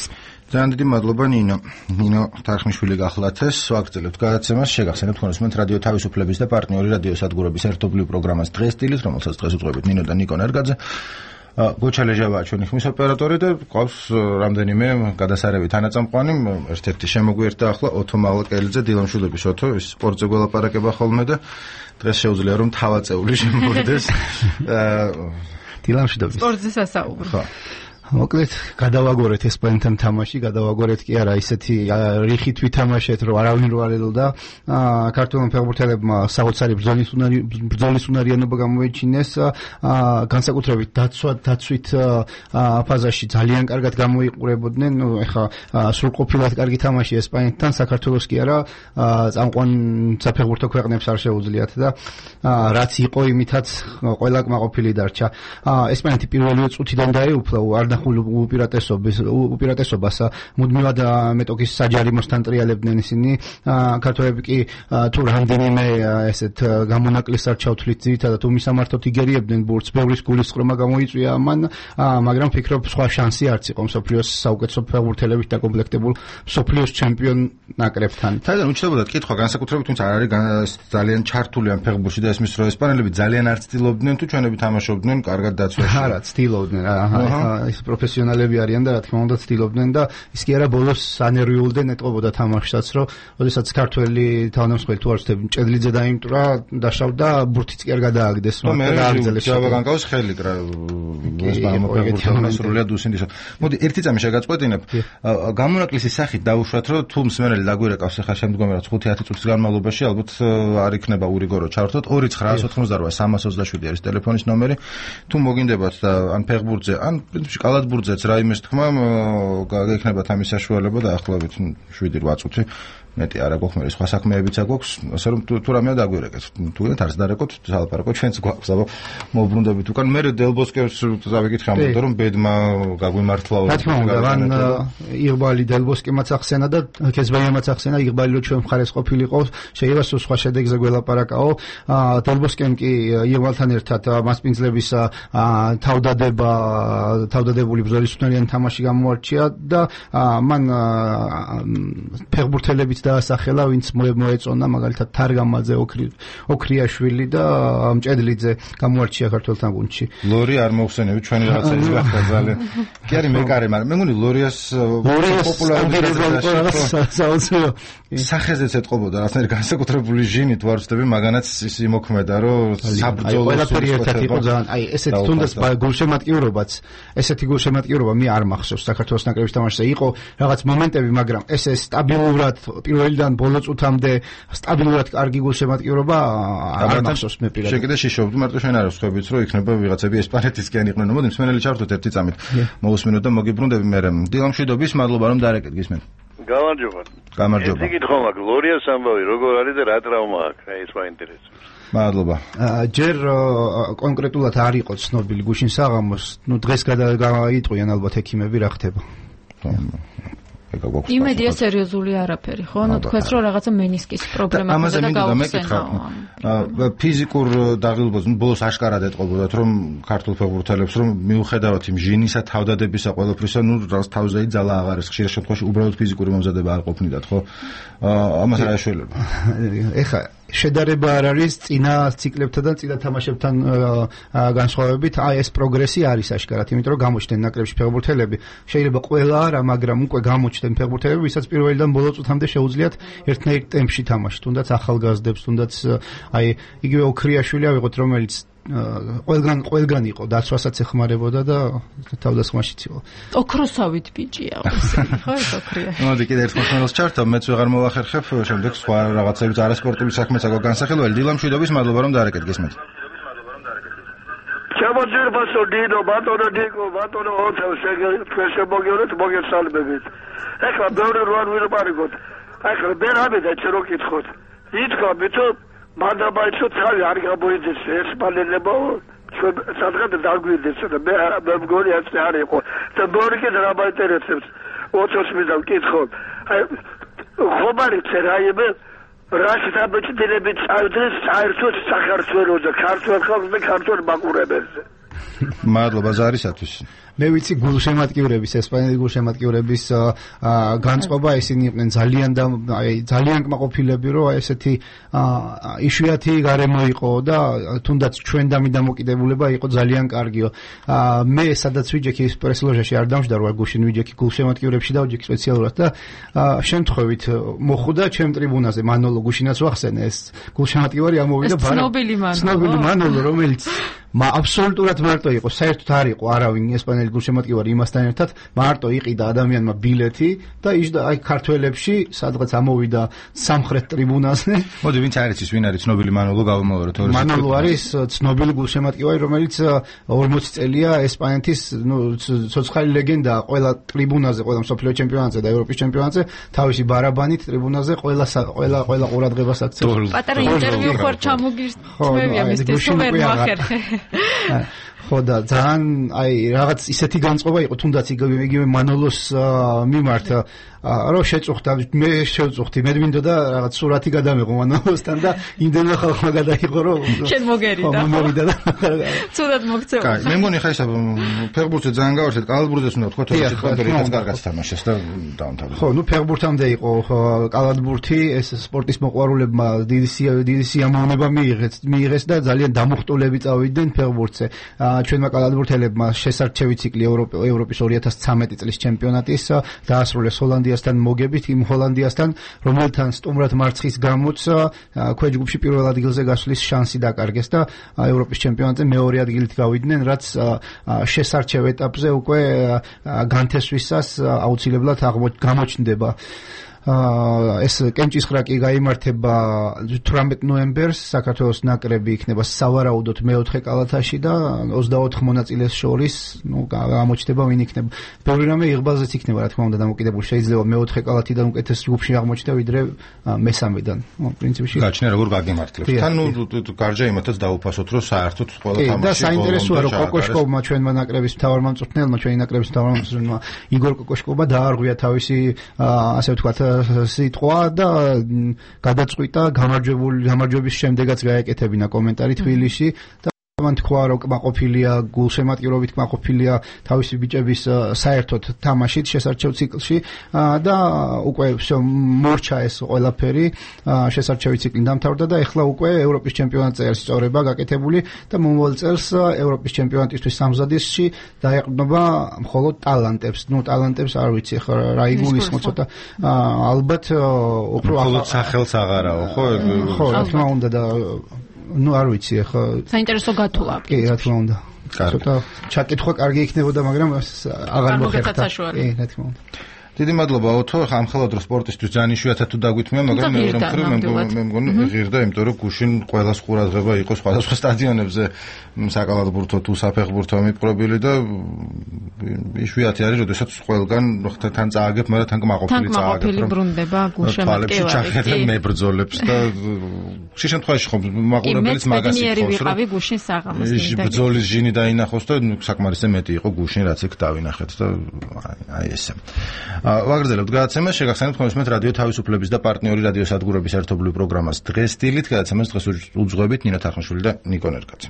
ძალიან დიდი მადლობა ნინო. ნინო თარხმიშვილი გახლათეს. ვაგრძელებთ გადაცემას. შეგახსენებთ ხონისმენთ რადიო თავისუფლების და პარტნიორი რადიო სადგურების ერთობლივ პროგრამას დღეს სტილის, რომელსაც დღეს უძღვებით ნინო და ნიკო ნერგაძე. გოჩა ლეჟავაა ჩვენი ხმის ოპერატორი და ყავს რამდენიმე გადასარევი თანაწამყვანი. ერთ-ერთი შემოგვიერთდა ახლა ოთო მალაკელიძე, დილამშვიდობის ოთო, ის სპორტზე გველაპარაკება ხოლმე და დღეს შეუძლია რომ თავაწეული შემოვიდეს. დილამშვიდობის. სპორტზე სასაუბრო. ხო. მოკლედ გადავაგორეთ ესპანეთთან თამაში, გადავაგორეთ კი არა ისეთი რიხით ვითამაშეთ, რომ არავინ რო არ ელოდა. ქართულმა ფეხბურთელებმა საოცარი ბრძოლის უნარი ბრძოლის უნარიანობა გამოიჩინეს. განსაკუთრებით დაცვა დაცვით ფაზაში ძალიან კარგად გამოიყურებოდნენ. ნუ ეხა სრულყოფილად კარგი თამაში ესპანეთთან, საქართველოს კი არა წამყვან საფეხბურთო ქვეყნებს არ შეუძლიათ და რაც იყო იმითაც ყველა კმაყოფილი დარჩა. ესპანეთი პირველივე წუთიდან დაეუფლა არ უპირატესობის უპირატესობას მუდმივად მეტოქის საჯარიმოსთან ტრიალებდნენ ისინი. ქართველები კი თუ რამდენიმე ესეთ გამონაკლისს არ ჩავთვლით ძირითადად უმისამართოდ იგერიებდნენ ბურთს, ბევრის გულისწყრომა გამოიწვია ამან, მაგრამ ფიქრობ სხვა შანსი არც იყო მსოფლიოს საუკეთესო ფეხბურთელებით დაკომპლექტებულ მსოფლიოს ჩემპიონ ნაკრებთან. თაიდან უჩნდებოდა კითხვა განსაკუთრებით, თუმცა არ არის ძალიან ჩართული ამ ფეხბურთში და ესმის რომ ესპანელები ძალიან არ ცდილობდნენ თუ ჩვენები თამაშობდნენ კარგად დაცვაში. არა, ცდილობდნენ. აჰა, ის პროფესიონალები არიან და რა თქმა უნდა ცდილობდნენ და ის კი არა ბოლოს ანერვიულდნენ ეტყობოდა თამაშსაც, რომ ოდესაც ქართველი თავდამსხმელი თუ არ ვცდები ჭედლიძე დაიმტრა, დაშავდა, ბურთიც კი არ გადააგდეს, მაგრამ დააგრძელეს. ჯავა განკავს ხელი კრა ესპანელმა ფეხბურთელმა სრულიად უსინდისო. მოდი ერთი წამი შეგაწყვეტინებ. გამონაკლისის სახით დავუშვათ, რომ თუ მსმენელი დაგვირეკავს ახლა შემდგომი რაც ხუთი ათი წუთის განმავლობაში ალბათ არ იქნება ურიგორო ჩავერთოთ. ორი ცხრაას ოთხმოცდაოთხ სამას ოცდაშვიდი არის ტელეფონის ნომერი. თუ მოგინდებათ და ან ფეხბურთზე, ან პრინციპში კალათბურთზეც რა იმეს თქმა გექნებათ ამის საშუალება და ახლავით შვიდი რვა წუთი მეტი არა გვაქვს, მე სხვა საქმეებიც აქვს, ასე რომ თუ რამეა დაგვირეკეთ. თუ გინდათ არც დარეკოთ, სალაპარაკო ჩვენც გვაქვს, აბა მოუბრუნდებით უკან. მე დელბოსკერს დავიკითხე ამბობ რომ ბედმა გაგვიმართლა. რა თქმა უნდა, ვან იღბალი დელბოსკიმაც ახსენა და ქესბაიამაც ახსენა, იღბალი რო ჩვენ მხარეს ყოფილიყო, შეიძლება სხვა შედეგზე გველაპარაკაო. დელბოსკემ კი იღბალთან ერთად მასპინძლების თავდადება, თავდადებული ბრძოლის უნარიანი თამაში გამოარჩია და მან ფეხბურთელებიც დაასახელა, ვინც მოეწონა, მაგალითად თარგამაძე, ოქრიაშვილი და მჭედლიძე გამოარჩია ქართველთან გუნდში. ლორი არ მოხსენები, ჩვენი რაღაცა ის გახდა ძალიან. კი არის მეკარე, მაგრამ მე მგონი ლორიას პოპულარული სახეზეც ეთყობოდა, რაღაცნაირი განსაკუთრებული ჟინით ვარ ვწდები, მაგანაც ის იმოქმედა, რომ საბრძოლო ყველაფერი ერთად იყო ძალიან. აი, ესეთი თუნდაც გულშემატკივრობაც, ესეთი გულშემატკივრობა მე არ მახსოვს საქართველოს ნაკრების თამაშზე. იყო რაღაც მომენტები, მაგრამ ესე სტაბილურად პირველიდან ბოლო წუთამდე სტაბილურად კარგი გულშემატკივრობა არ მახსოვს მე პირადად. შეკიდე შიშობდი, მარტო შენ არ ვსხვებით, რომ იქნება ვიღაცები ესპანეთისკენ იყვნენ. მოდი მსმენელი ჩართოთ ერთი წამით. მოусმინოთ და მოგიბრუნდები მე. დილამშვიდობის, მადლობა რომ დარეკეთ გისმენ. გამარჯობა. გამარჯობა. ერთი კითხვა მაქვს, ლორიას ამბავი როგორ არის და რა ტრავმა აქვს? აი ეს მაინტერესებს. მადლობა. ჯერ კონკრეტულად არ იყო ცნობილი გუშინ საღამოს, ნუ დღეს გადაიტყვიან ალბათ ექიმები რა ხდება. იმედია სერიოზული არაფერი, ხო? ნუ თქვენს რომ რაღაცა მენისკის პრობლემა ხდება და გაუხსენა. ფიზიკურ დაღლილობას, ნუ ბოლოს აშკარად ეტყობოდათ, რომ ქართულ ფეხბურთელებს რომ მიუხედავად იმ ჟინისა, თავდადებისა, ყველაფრისა, ნუ რაღაც თავზე იძალა აღარ ეს ხშირ შემთხვევაში უბრალოდ ფიზიკური მომზადება არ ყოფნიდათ, ხო? ამას რა ეშველება? ეხა შედარება არ არის წინა ციკლებთან და წინა თამაშებთან განსხვავებით, აი ეს პროგრესი არის აშკარად, იმიტომ რომ გამოჩნდნენ ნაკრებში ფეხბურთელები, შეიძლება ყველა არა, მაგრამ უკვე გამოჩნდნენ ფეხბურთელები, ვისაც პირველიდან ბოლო წუთამდე შეუძლიათ ერთნაირ ტემპში თამაში, თუნდაც ახალგაზრდებს, თუნდაც აი იგივე ოქრიაშვილი ავიღოთ, რომელიც ყველგან ყველგან იყო, დაცვასაც ეხმარებოდა და თავდასხმაშიც იყო. ოქროსავით ბიჭია, ხო ეს ოქრია. მოდი კიდე ერთ მომხმარელს ჩართო, მეც ვეღარ მოვახერხებ, შემდეგ სხვა რაღაცებიც არასპორტული საქმეც აქვს განსახილველი. დილამშვიდობის, მადლობა რომ დაარეკეთ გისმენთ. შემოძერბასო დინო, ბატონო დიკო, ბატონო ოთელ, შეგემოგიორეთ, მოგესალმებით. ეხლა ბევრი როარ ვიყარიგოთ. ეხლა მე რამედა ჩერო კითხოთ. ითქვა მითო მანდაბაიცო თავი არ გამოიძეს ესპანელებო ჩვენ სადღაც დაგვიძეს და მე მე მგონი ასე არ იყო და ბორიკე რა მაინტერესებს ოჩოს მიდავ კითხო აი ხომარი წერაიბე რაში დაბეჭდილებით წავდეს საერთოდ საქართველოსა ქართულ ხალხს და ქართულ მაყურებელს. მადლობა ზარისათვის. მე ვიცი გულშემატკივრების, ესპანელი გულშემატკივრების განწყობა, ისინი იყვნენ ძალიან და აი ძალიან კმაყოფილები, რომ ესეთი იშვიათი გარემო იყო და თუნდაც ჩვენ დამიდამოკიდებულება იყო ძალიან კარგიო. მე სადაც ვიჯექი პრესლოჟაში არ დამждარ გუშინ ვიჯექი გულშემატკივრებში დავჯექი სპეციალურად და შემთხვევით მოხვდა ჩემ ტრიბუნაზე მანოლო გუშინაც ვახსენე ეს გულშემატკივარი ამოვიდა ბარა. ცნობილი მანოლო. ცნობილი მანოლო, რომელიც მა აბსოლუტურად მარტო იყო, საერთოდ არ იყო არავინ ესპანელი გულშემატკივარი იმასთან ერთად, მარტო იყიდა ადამიანმა ბილეთი და იჯდა აი ქართველებში, სადღაც ამოვიდა სამხრეთ ტრიბუნაზე. მოდი ვინც არის ის, ვინ არის ცნობილი მანოლო გავამოვაროთ ორი. მანოლო არის ცნობილი გულშემატკივარი, რომელიც ორმოცი წელია ესპანეთის, ნუ ცოცხალი ლეგენდა, ყველა ტრიბუნაზე, ყველა მსოფლიო ჩემპიონატზე და ევროპის ჩემპიონატზე, თავისი ბარაბანით ტრიბუნაზე ყველა ყველა ყველა ყურადღებას აქცევს. პატარა ინტერვიუ ხარ ჩამოგირწმევია მისთვის, თუ ვერ მოახერხე. ხო და ძალიან აი რაღაც ისეთი განწყობა იყო თუნდაც იგივე მანოლოს მიმართ რომ შეწუხდა მე შევწუხდი მე მინდოდა რაღაც სურათი გადამეღო მანოლოსთან და იმდენმა ხალხმა გადაიღო რომ შენ მოგერიდა ხო მოვიდა და ცუდად მოგწევა. კაი მე მგონი ხა ისა ფეხბურთზე ძალიან გავარჩეთ კალათბურთზეც უნდა თქვა თორე კონტროლით კარგად თამაშეს და დაამთავრა. ხო ნუ ფეხბურთამდე იყო კალათბურთი ეს სპორტის მოყვარულებმა დიდი დიდი სიამოვნება მიიღეს მიიღეს და ძალიან დამუხტულები წავიდნენ ფეხბურთზე. ჩვენმა კალათბურთელებმა შესარჩევი ციკლი ევროპის ორი ათას ცხრამეტი წლის ჩემპიონატის დაასრულეს ჰოლანდიასთან მოგებით იმ ჰოლანდიასთან რომელთან სტუმრად მარცხის გამოც ქვეჯგუფში პირველ ადგილზე გასვლის შანსი დაკარგეს და ევროპის ჩემპიონატზე მეორე ადგილით გავიდნენ რაც შესარჩევ ეტაპზე უკვე განთესვისას აუცილებლად გამოჩნდება. ეს კემჭისხრა კი გაიმართება თვრამეტ ნოემბერს, საქართველოს ნაკრები იქნება სავარაუდოდ მეოთხე კალათაში და ოცდაოთხ მონაწილეს შორის, ну, გამოჩნდება ვინ იქნება. ბევრი რამე იღბალზეც იქნება, რა თქმა უნდა, დამოკიდებული. შეიძლება მეოთხე კალათიდან უკეთეს ჯგუფში აღმოჩნდა ვიდრე მესამედან. ну, პრინციპში გაჩნია როგორ გაგემართლებს. თან ნუ გარჯა იმათაც დაუფასოთ, რომ საერთოდ ყველა თამაში და საინტერესოა, რომ კოკოშკოვმა ჩვენმა ნაკრების მთავარმა მწვრთნელმა, ჩვენი ნაკრების მთავარმა მწვრთნელმა იგორ კოკოშკოვმა დაარღვია თავისი ასე ვთქვათ სიტყვა და გადაწყვიტა გამარჯვებული გამარჯვების შემდეგაც გაეკეთებინა კომენტარი თბილისში და მან თქვა, რომ კმაყოფილია გულშემატკივრობით, კმაყოფილია თავისი ბიჭების საერთოდ თამაშით შესარჩევ ციკლში და უკვე მორჩა ეს ყველაფერი, შესარჩევი ციკლი დამთავრდა და ეხლა უკვე ევროპის ჩემპიონატზე არის წორება გაკეთებული და მომავალ წელს ევროპის ჩემპიონატისთვის სამზადისში დაეყრდნობა მხოლოდ ტალანტებს. ნუ ტალანტებს არ ვიცი ხა რა იგულისხმო ცოტა ალბათ უფრო მხოლოდ სახელს აღარაო, ხო? ხო, რა თქმა უნდა და ну არ ვიცი ახლა საინტერესო გათვლა. კი, რა თქმა უნდა. ცოტა ჩაკითხვა კარგი იქნებოდა, მაგრამ აღარ მოხერხდა. კი, რა თქმა უნდა. დიდი მადლობა ოთო, ამ ხელად რო სპორტისთვის ძალიან იშვიათად თუ დაგვითმია, მაგრამ მეორე მხრივ მე მგონი ღირდა, იმიტომ რომ გუშინ ყველას ყურადღება იყო სხვადასხვა სტადიონებზე საკალათბურთო თუ საფეხბურთო მიპყრობილი და იშვიათი არის, როდესაც ყველგან თან წააგებ, მაგრამ თან კმაყოფილი წააგებ. თან კმაყოფილი ბრუნდება გულშემატკივარი. მებრძოლებს და ხშირ შემთხვევაში ხომ მაყურებელიც მაგას იხოს, რომ გუშინ საღამოს ბრძოლის ჟინი დაინახოს და საკმარისზე მეტი იყო გუშინ, რაც იქ დავინახეთ და აი ესე. ვაგრძელებთ გადაცემას, შეგახსენებთ ხომისმეთ რადიო თავისუფლების და პარტნიორი რადიო სადგურების ერთობლივ პროგრამას დღეს დილით გადაცემას დღეს უძღვებით ნინო თარხნიშვილი და ნიკო ნერგაძე.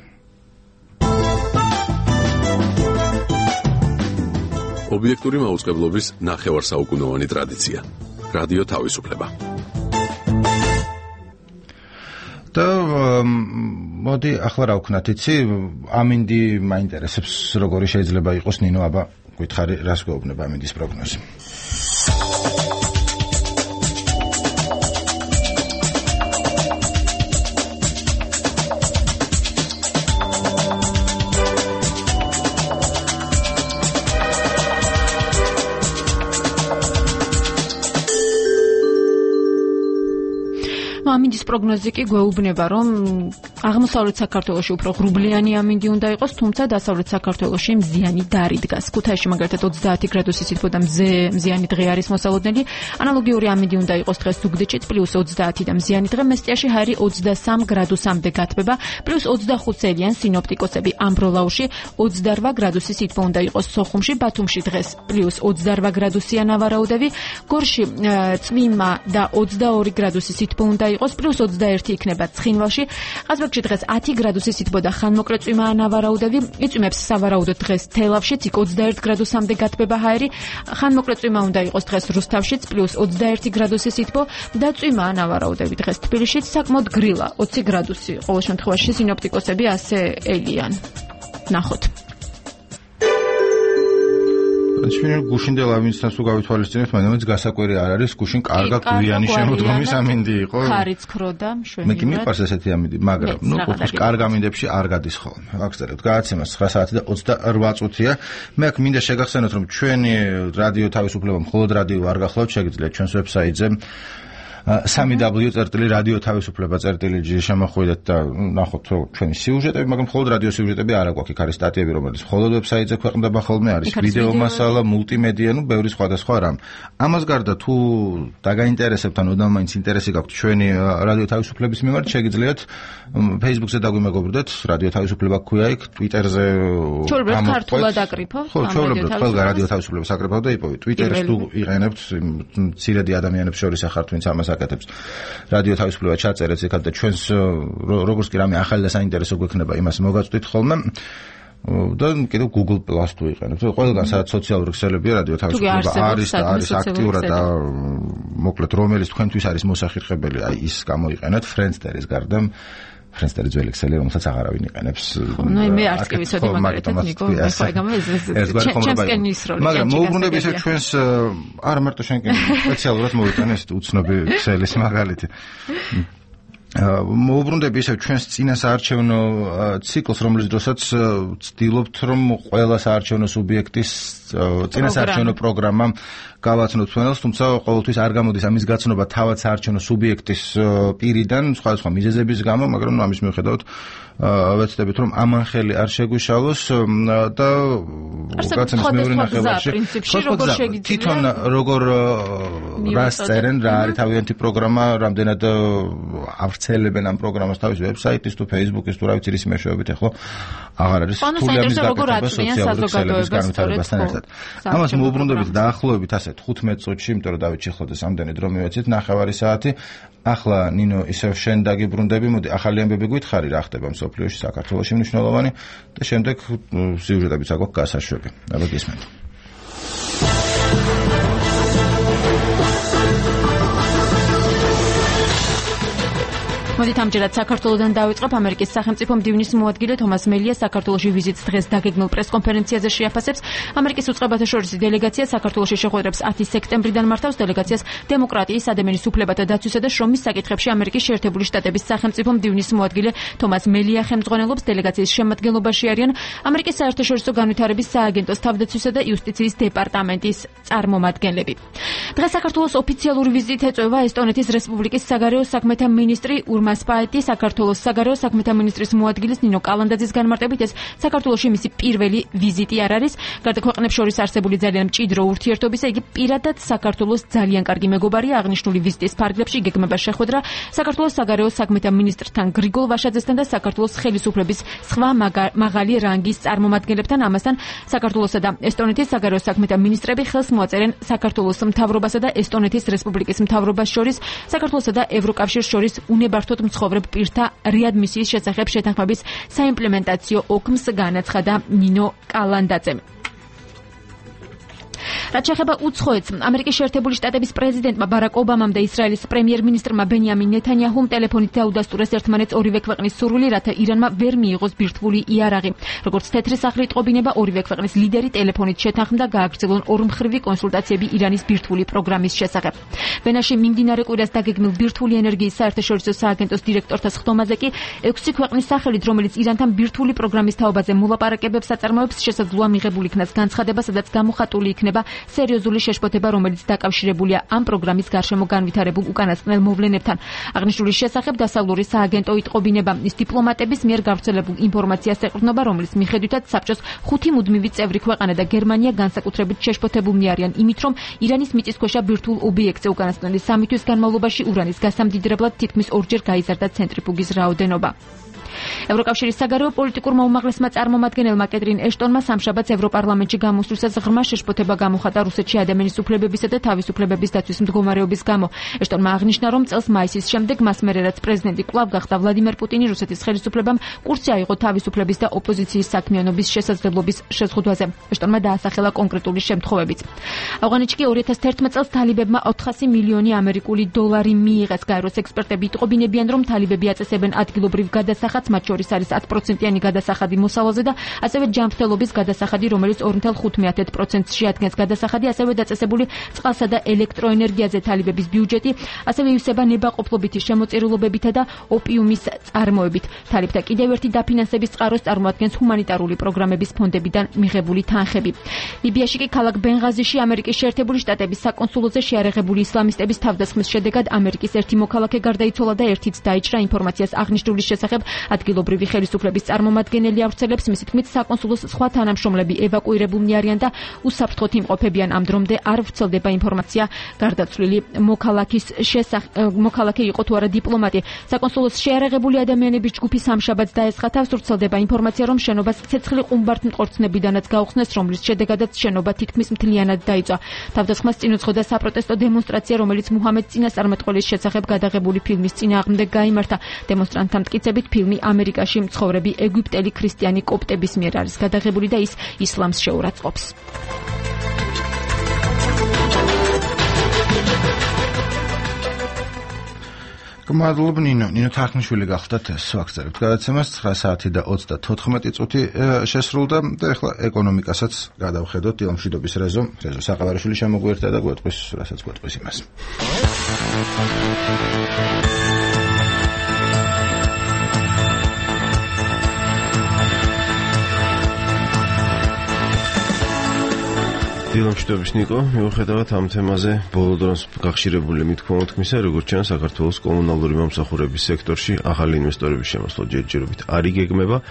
ობიექტური მაუწყებლობის ნახევარსაუკუნოვანი ტრადიცია. რადიო თავისუფლება. და მოდი ახლა რა ვქნათ, იცი, ამინდი მაინტერესებს როგორი შეიძლება იყოს ნინო, აბა გითხარი რას გვეუბნება ამინდის პროგნოზი. ამინდის პროგნოზი კი გვეუბნება, რომ აღმოსავლეთ საქართველოში უფრო ღრუბლიანი ამინდი უნდა იყოს, თუმცა დასავლეთ საქართველოში მზიანი დარი დგას. ქუთაისში მაგალითად ოცდაათი გრადუსი სითბო და მზიანი დღე არის მოსალოდნელი. ანალოგიური ამინდი უნდა იყოს დღეს ზუგდიდში პლუს ოცდაათი და მზიანი დღე, მესტიაში ჰარი ოცდასამ გრადუსამდე გათბება, პლუს ოცდახუთ წელიან სინოპტიკოსები. ამბროლაუში ოცდარვა გრადუსი სითბო უნდა იყოს, სოხუმში, ბათუმში დღეს პლუს ოცდარვა გრადუსია ნავარაუდები, გორში წვიმა და ოცდაორი გრადუსი სითბო უნდა იყოს, პლუს ოცდაერთი იქნება ცხინვალში. ყაზბეგში დღეს ათი გრადუსი სითბო და ხანმოკლე წვიმაა ნავარაუდები. იწვიმებს სავარაუდოდ დღეს თელავშიც, იქ ოცდაერთ გრადუსამდე გათბება ჰაერი. ხანმოკლე წვიმა უნდა იყოს დღეს რუსთავშიც, პლუს ოცდაერთი გრადუსი სითბო და წვიმაა ნავარაუდები დღეს თბილისშიც, საკმაოდ გრილა, ოცი გრადუსი. ყოველ შემთხვევაში სინოპტიკოსები ასე ელიან. ნახოთ. ჩვენ გუშინდელ ამინდთან თუ გავითვალისწინებთ, მაგრამ გასაკვირი არ არის, გუშინ კარგა გვიანი შემოდგომის ამინდი იყო. ხარიც ქროდა, მშვენივრად. მე კი მიყვარს ესეთი ამინდი, მაგრამ ნუ ყოველთვის კარგ ამინდებში არ გადის ხოლმე. ვაგრძელებთ გადაცემას ცხრა საათი და ოცდარვა წუთია. მე აქ მინდა შეგახსენოთ, რომ ჩვენი რადიო თავისუფლება მხოლოდ რადიო არ გახლავთ, შეგიძლიათ ჩვენს ვებსაიტზე სამი დაბლიუ წერტილი რადიო თავისუფლება წერტილი ჯი შემოხვიდეთ და ნახოთ ჩვენი სიუჟეტები, მაგრამ მხოლოდ რადიო სიუჟეტები არ აქვს, იქ არის სტატიები, რომელიც მხოლოდ ვებსაიტზე ქვეყნდება ხოლმე, არის ვიდეო მასალა, მულტიმედია, ნუ ბევრი სხვადასხვა რამ. ამას გარდა თუ დაგაინტერესებთ, ანუ მაინც ინტერესი გაქვთ ჩვენი რადიო თავისუფლების მიმართ, შეგიძლიათ Facebook-ზე დაგვიმეგობრდეთ, რადიო თავისუფლება ქვია იქ, Twitter-ზე ჩვეულებრივ ქართულად აკრიფავთ, ხო, ჩვეულებრივ ყველა რადიო თავისუფლებას აკრიფავთ და იპოვეთ. Twitter-ს თუ იყენებთ, მცირედი ადამიანებს შორის ახართ, ვინც ამას აკეთებს. რადიო თავისუფლება ჩაწერეთ იქად და ჩვენს როგორც კი რამე ახალი და საინტერესო გვექნება, იმას მოგაწვდით ხოლმე. და კიდევ Google Plus თუ იყენებთ. ყველგან სადაც სოციალური ქსელებია რადიო თავისუფლება არის და არის აქტიურად და მოკლედ რომელიც თქვენთვის არის მოსახერხებელი, აი ის გამოიყენეთ Friendster-ის გარდა. Friendster ძველი ქსელი, რომელსაც აღარავინ იყენებს. ნუ მე არც კი ვიცოდი მაგალითად ნიკო, მე ხაიგამ ეს ჩემსკენ ისროლი. მაგრამ მოუბრუნდები ისე ჩვენს არა მარტო შენკენ სპეციალურად მოვიტანე ეს უცნობი ქსელის მაგალითი. მოუბრუნდები ისევ ჩვენს წინა საარჩევნო ციკლს, რომლის დროსაც ვცდილობთ, რომ ყველა საარჩევნო სუბიექტის წინა საარჩევნო პროგრამა გავაცნოთ ჩვენელს, თუმცა ყოველთვის არ გამოდის ამის გაცნობა თავად საარჩევნო სუბიექტის პირიდან, სხვადასხვა მიზეზების გამო, მაგრამ ამის მიუხედავად ვეცდებით, რომ ამან ხელი არ შეგვიშალოს და გაცემის მეორე ნახევარში თვითონ როგორ რას წერენ, რა არის თავიანთი პროგრამა, რამდენად ავრცელებენ ამ პროგრამას თავის ვებსაიტის თუ ფეისბუქის თუ რა ვიცი რის მეშვეობით, ახლა აღარ არის რთული ამის გაკეთება სოციალური ქსელების განვითარებასთან ერთად. ამას მოუბრუნდებით დაახლოებით ასე თხუთმეტ წუთში, იმიტომ რომ დავით ჩიხლოდეს ამდენი დრო მივეცით, ნახევარი საათი. ახლა ნინო ისევ შენ დაგიბრუნდები, მოდი ახალი ამბები გითხარი რა ხდება მსოფლიოში, საქართველოში მნიშვნელოვანი და შემდეგ სიუჟეტებიც აქვს გასაშვები. აბა გისმენთ. მოდით ამჯერად საქართველოდან დავიწყებ. ამერიკის სახელმწიფო მდივნის მოადგილე თომას მელია საქართველოში ვიზიტს დღეს დაგეგმილ პრესკონფერენციაზე შეაფასებს. ამერიკის უწყებათა შორისი დელეგაცია საქართველოში შეხვედრებს ათი სექტემბრიდან მართავს. დელეგაციას დემოკრატიის, ადამიანის უფლებათა დაცვისა და შრომის საკითხებში ამერიკის შეერთებული შტატების სახელმწიფო მდივნის მოადგილე თომას მელია ხელმძღვანელობს. დელეგაციის შემადგენლობაში არიან ამერიკის საერთაშორისო განვითარების სააგენტოს თავდაცვისა და იუსტიციის დეპარტამენტის წარმომადგენლები. დღეს საქართველოს ოფიციალური ვიზიტით ეწევა ესტონეთის რესპუბლიკის საგარეო საქმეთა მინისტრი სპაიტი, საქართველოს საგარეო საქმეთა მინისტრის მოადგილის ნინო კალანდაძის განმარტებით ეს საქართველოში მისი პირველი ვიზიტი არ არის. გარდა ქვეყნებს შორის არსებული ძალიან მჭიდრო ურთიერთობისა, იგი პირადად საქართველოს ძალიან კარგი მეგობარია. აღნიშნული ვიზიტის ფარგლებში გეგმება შეხვედრა საქართველოს საგარეო საქმეთა მინისტრთან გრიგოლ ვაშაძესთან და საქართველოს ხელისუფლების სხვა მაღალი რანგის წარმომადგენლებთან. ამასთან საქართველოსა და ესტონეთის საგარეო საქმეთა მინისტრები ხელს მოაწერენ საქართველოს მთავრობასა და ესტონეთის რესპუბლიკის მთავრობას შორის საქართველოსა და ევროკავშირს შორის უნებართოდ მცხოვრებ პირთა რეადმისიის შესახებ შეთანხმების საიმპლემენტაციო ოქმს განაცხადა ნინო კალანდაძემ. რაც შეეხება უცხოეთს, ამერიკის შეერთებული შტატების პრეზიდენტმა ბარაკ ობამამ და ისრაელის პრემიერ-მინისტრმა ბენიამინ ნეთანიაჰუმ ტელეფონით დაუდასტურეს ერთმანეთს ორივე ქვეყნის სურვილი, რათა ირანმა ვერ მიიღოს ბირთვული იარაღი. როგორც თეთრი სახლი იტყობინება, ორივე ქვეყნის ლიდერი ტელეფონით შეთანხმდა გააგრძელონ ორმხრივი კონსულტაციები ირანის ბირთვული პროგრამის შესახებ. ვენაში მიმდინარე კვირას დაგეგმილ ბირთვული ენერგიის საერთაშორისო სააგენტოს დირექტორთა სხდომაზე კი ექვსი ქვეყნის სახელით, რომელიც ირანთან ბირთვული პროგრამის თაობაზე მოლაპარაკებებს აწარმოებს, შესაძლოა მიღებული იქნას განცხადება, სადაც გამოხატული იქნება სერიოზული შეშფოთება, რომელიც დაკავშირებულია ამ პროგრამის გარშემო განვითარებულ უკანასკნელ მოვლენებთან. აღნიშნული შესახებ დასავლური სააგენტო იტყობინება, ის დიპლომატების მიერ გავრცელებულ ინფორმაციას ეყრდნობა, რომლის მიხედვითაც საბჭოს ხუთი მუდმივი წევრი ქვეყანა და გერმანია განსაკუთრებით შეშფოთებულნი არიან იმით, რომ ირანის მიწისქვეშა ბირთვულ ობიექტზე უკანასკნელი სამი თვის განმავლობაში ურანის გასამდიდრებლად თითქმის ორჯერ გაიზარდა ცენტრიფუგის რაოდენობა. ევროკავშირის საგარეო პოლიტიკურმა უმაღლესმა წარმომადგენელმა კეტრინ ეშტონმა სამშაბათს ევროპარლამენტში გამოსვლისას ღრმა შეშფოთება გამოხატა რუსეთში ადამიანის უფლებებისა და თავისუფლებების დაცვის მდგომარეობის გამო. ეშტონმა აღნიშნა, რომ წელს მაისის შემდეგ მას მერე რაც პრეზიდენტი კვლავ გახდა ვლადიმერ პუტინი, რუსეთის ხელისუფლებამ კურსი აიღო თავისუფლების და ოპოზიციის საქმიანობის შესაძლებლობის შეზღუდვაზე. ეშტონმა დაასახელა კონკრეტული შემთხვევებიც. ავღანეთში კი ორი ათას თერთმეტ წელს თალიბებმა ოთხასი მილიონი ამერიკული დოლარი მიიღეს. გაეროს ექსპერტები იტყობინებიან, რომ თალიბები აწესებენ ადგილობრივ გადასახადს, მათ შორის არის ათი პროცენტიანი გადასახადი მოსავალზე და ასევე ჯანმრთელობის გადასახადი, რომელიც ორი ნული ხუთი პროცენტს შეადგენს. გადასახადი ასევე დაწესებული წყალსა და ელექტროენერგიაზე. თალიბების ბიუჯეტი ასევე ივსება ნებაყოფლობითი შემოწირულობებითა და ოპიუმის წარმოებით. თალიბთა კიდევ ერთი დაფინანსების წყაროს წარმოადგენს ჰუმანიტარული პროგრამების ფონდებიდან მიღებული თანხები. ლიბიაში კი ქალაქ ბენღაზიში ამერიკის შეერთებული შტატების საკონსულოზე შეარაღებული ისლამისტების თავდასხმის შედეგად ამერიკის ერთი მოქალაქე გარდაიცვალა და ერთიც დაიჭრა. ინფორმაციას აღნიშნული შესახებ ადგილობრივი ხელისუფლების წარმომადგენელი ავრცელებს, მისი თქმით, საკონსულოს სხვა თანამშრომლები ევაკუირებულნი არიან და უსაფრთხოდ იმყოფებიან. ამ დრომდე არ ვრცელდება ინფორმაცია გარდაცვლილი მოქალაქის შესახებ. მოქალაქე იყო თუ არა დიპლომატი. საკონსულოს შეარაღებული ადამიანების ჯგუფი სამშაბათს დაესხა თავს. ვრცელდება ინფორმაცია, რომ შენობას ცეცხლი ყუმბართმტყორცნებიდანაც გაუხსნეს, რომლის შედეგადაც შენობა თითქმის მთლიანად დაიწვა. თავდასხმას წინ უძღოდა საპროტესტო დემონსტრაცია, რომელიც მუჰამედ წინასწარმეტყველის შესახებ გადაღებული ფილმის წინააღმდეგ გაიმართა. დემონსტრანტთა მტკიცებით ფილმი ამერიკაში მცხოვრები ეგვიპტელი ქრისტიანი კოპტების მიერ არის გადაღებული და ის ისლამს შეურაცხყოფს. მადლობ ნინო. ნინო თარხნიშვილი გახლდათ ეს ვაგზავნებთ გადაცემას ცხრა საათი და ოცდათოთხმეტი წუთი შესრულდა და ახლა ეკონომიკასაც გადავხედოთ. დილამშვიდობის რეზო. რეზო საყავარიშვილი შემოგვიერთდა და გვეტყვის, რასაც გვეტყვის იმას. დილამშვიდობის ნიკო, მიუხედავად ამ თემაზე ბოლო დროს გახშირებული მithქმა-მოთქმისა, როგორც ჩანს, საქართველოს კომუნალური მომსახურების სექტორში ახალი ინვესტორების შემოსვლა ჯერჯერობით არ იგეგმება.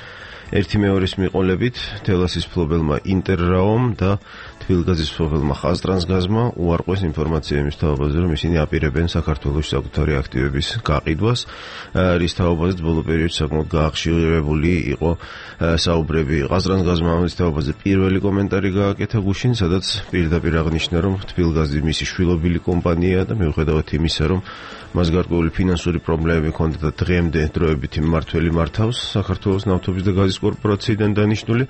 ერთი მეორის მიყოლებით თელასის მფლობელმა ინტერრაომ და თბილგაზის მფლობელმა ხაზტრანსგაზმა უარყვეს ინფორმაცია იმის თაობაზე, რომ ისინი აპირებენ საქართველოს საკუთარი აქტივების გაყიდვას, რის თაობაზეც ბოლო პერიოდში საკმაოდ გაახშირებული იყო საუბრები. ხაზტრანსგაზმა ამის თაობაზე პირველი კომენტარი გააკეთა გუშინ, სადაც პირდაპირ აღნიშნა, რომ თბილგაზი მისი შვილობილი კომპანიაა და მიუხედავად იმისა, რომ მას გარკვეული ფინანსური პრობლემები ჰქონდა და დღემდე დროებითი მმართველი მართავს საქართველოს ნავთობის და გაზის კორპორაციიდან დანიშნული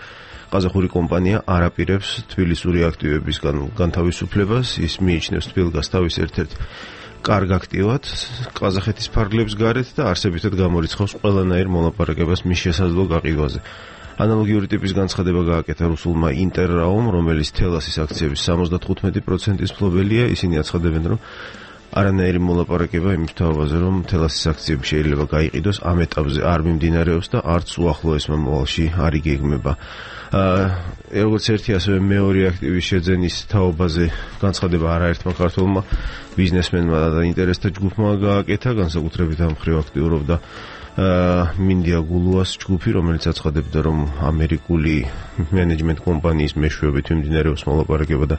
ყაზახური კომპანია არ აპირებს თბილისური აქტივების განთავისუფლებას. ის მიიჩნევს თბილგაზს თავის ერთ-ერთ კარგ აქტივად ყაზახეთის ფარგლებს გარეთ და არსებითად გამორიცხავს ყველანაირ მოლაპარაკებას მის შესაძლო გაყიდვაზე. ანალოგიური ტიპის განცხადება გააკეთა რუსულმა ინტერრაომ, რომელიც თელასის აქციების სამოცდათხუთმეტი პროცენტის მფლობელია. ისინი აცხადებენ, რომ არანაირი მოლაპარაკება იმის თაობაზე, რომ თელასის აქციები შეიძლება გაიყიდოს, ამ ეტაპზე არ მიმდინარეობს და არც უახლოეს მომავალში არ იგეგმება. როგორც ერთი, ასევე მეორე აქტივის შეძენის თაობაზე განცხადება არაერთმა ქართველმა ბიზნესმენმა და ინტერესთა ჯგუფმა გააკეთა, განსაკუთრებით ამ მხრივ აქტიურობდა მინდია გულუას ჯგუფი, რომელიც აცხადებდა, რომ ამერიკული მენეჯმენტ კომპანიის მეშვეობით მიმდინარეობს მოლაპარაკება და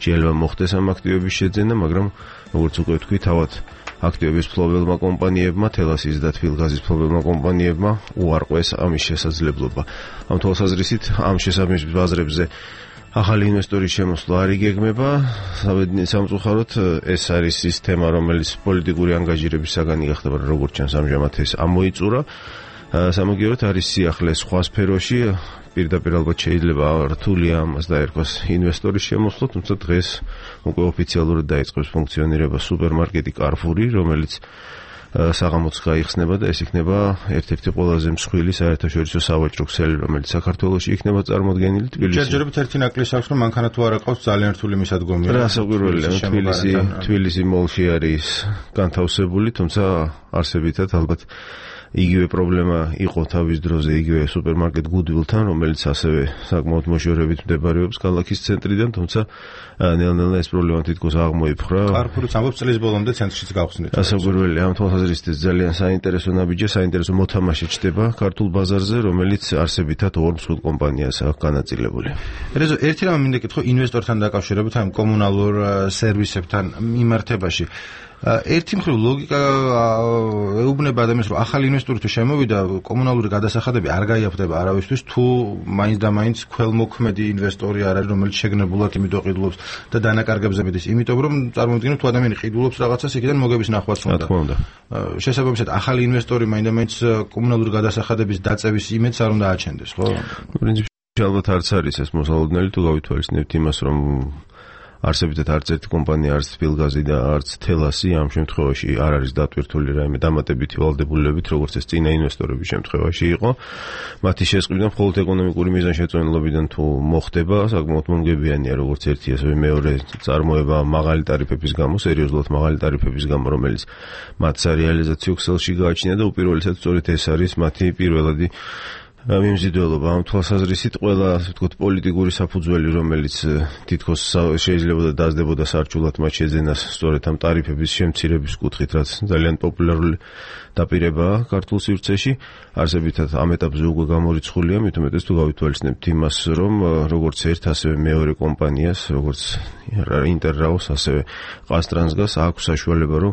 შეიძლება მოხდეს ამ აქტივების შეძენა, მაგრამ როგორც უკვე თქვი, თავად აქტივების მფლობელმა კომპანიებმა, თელასის და თბილგაზის მფლობელმა კომპანიებმა უარყვეს ამის შესაძლებლობა. ამ თვალსაზრისით, ამ შესაბამის ბაზრებზე ახალი ინვესტორის შემოსვლა არ იგეგმება. სამწუხაროდ ეს არის ის თემა, რომელიც პოლიტიკური ანგაჟირების საგანი გახდა, მაგრამ როგორც ჩანს, ამჟამად ეს ამოიწურა. სამაგიეროდ არის სიახლე სხვა სფეროში, პირდაპირ ალბათ შეიძლება რთულია ამას დაერქვას ინვესტორის შემოსვლა, თუმცა დღეს უკვე ოფიციალურად დაიწყებს ფუნქციონირება სუპერმარკეტი Carrefour-ი, რომელიც საღამოც გაიხსნება და ეს იქნება ერთ-ერთი ყველაზე მსხვილი საერთაშორისო სავაჭრო ქსელი, რომელიც საქართველოში იქნება წარმოდგენილი თბილისში. ჯერჯერობით ერთი ნაკლისი აქვს, რომ მანქანა თუ არ აყავს ძალიან რთული მისადგომია. რასაკვირველია, თბილისი, თბილისი მოლში არის განთავსებული, თუმცა არსებითად ალბათ იგივე პრობლემა იყო თავის დროზე იგივე სუპერმარკეტ Goodwill-თან, რომელიც ასევე საკმაოდ მოშორებით მდებარეობს ქალაქის ცენტრიდან, თუმცა ნელ-ნელა ეს პრობლემა თითქოს აღმოიფხვრა. Carrefour-იც ამბობს წლის ბოლომდე ცენტრშიც გავხსნით. რასაკვირველია, ამ თვალსაზრისით ძალიან საინტერესო ნაბიჯია, საინტერესო მოთამაშე ჩდება ქართულ ბაზარზე, რომელიც არსებითად ორ მსხვილ კომპანიას აქვს განაწილებული. რეზო, ერთი რამ მინდა კითხო ინვესტორთან დაკავშირებით ამ კომუნალურ სერვისებთან მიმართებაში. ერთი მხრივ ლოგიკა ეუბნება ადამიანს, რომ ახალი ინვესტორი თუ შემოვიდა, კომუნალური გადასახადები არ გაიაფრდება არავისთვის, თუ მაინც და მაინც ქველმოქმედი ინვესტორი არ არის, რომელიც შეგნებულად იმით ყიდულობს და დანაკარგებზე მიდის, იმიტომ რომ წარმოვიდგინოთ, თუ ადამიანი ყიდულობს რაღაცას, იქიდან მოგების ნახვაც უნდა. შესაბამისად, ახალი ინვესტორი მაინც და მაინც კომუნალური გადასახადების დაწევის იმედს არ უნდა აჩენდეს, ხო? პრინციპში ალბათ არც არის ეს მოსალოდნელი, თუ გავითვალისწინებთ იმას, რომ არსებითად არც ერთი კომპანია, არც თბილგაზი და არც თელასი ამ შემთხვევაში არ არის დატვირთული რაიმე დამატებითი ვალდებულებებით, როგორც ეს წინა ინვესტორების შემთხვევაში იყო. მათი შესყიდვა მხოლოდ ეკონომიკური მიზანშეწონილობიდან თუ მოხდება, საკმაოდ მომგებიანია, როგორც ერთი, ასევე მეორე წარმოება მაღალი ტარიფების გამო, სერიოზულად მაღალი ტარიფების გამო, რომელიც მათ სარეალიზაციო ქსელში გააჩნია და უპირველესად სწორედ ეს არის მათი პირველადი მიმზიდველობა. ამ თვალსაზრისით ყველა, ასე ვთქვათ, პოლიტიკური საფუძველი, რომელიც თითქოს შეიძლება და დაძდებოდა სარჩულად მათ შეძენას სწორედ ამ ტარიფების შემცირების კუთხით, რაც ძალიან პოპულარული დაპირებაა ქართულ სივრცეში, არსებითად ამ ეტაპზე უკვე გამორიცხულია, მით უმეტეს თუ გავითვალისწინებთ იმას, რომ როგორც ერთ, ასევე მეორე კომპანიას, როგორც ინტერრაოს, ასევე ყაზტრანსგაზს აქვს საშუალება, რომ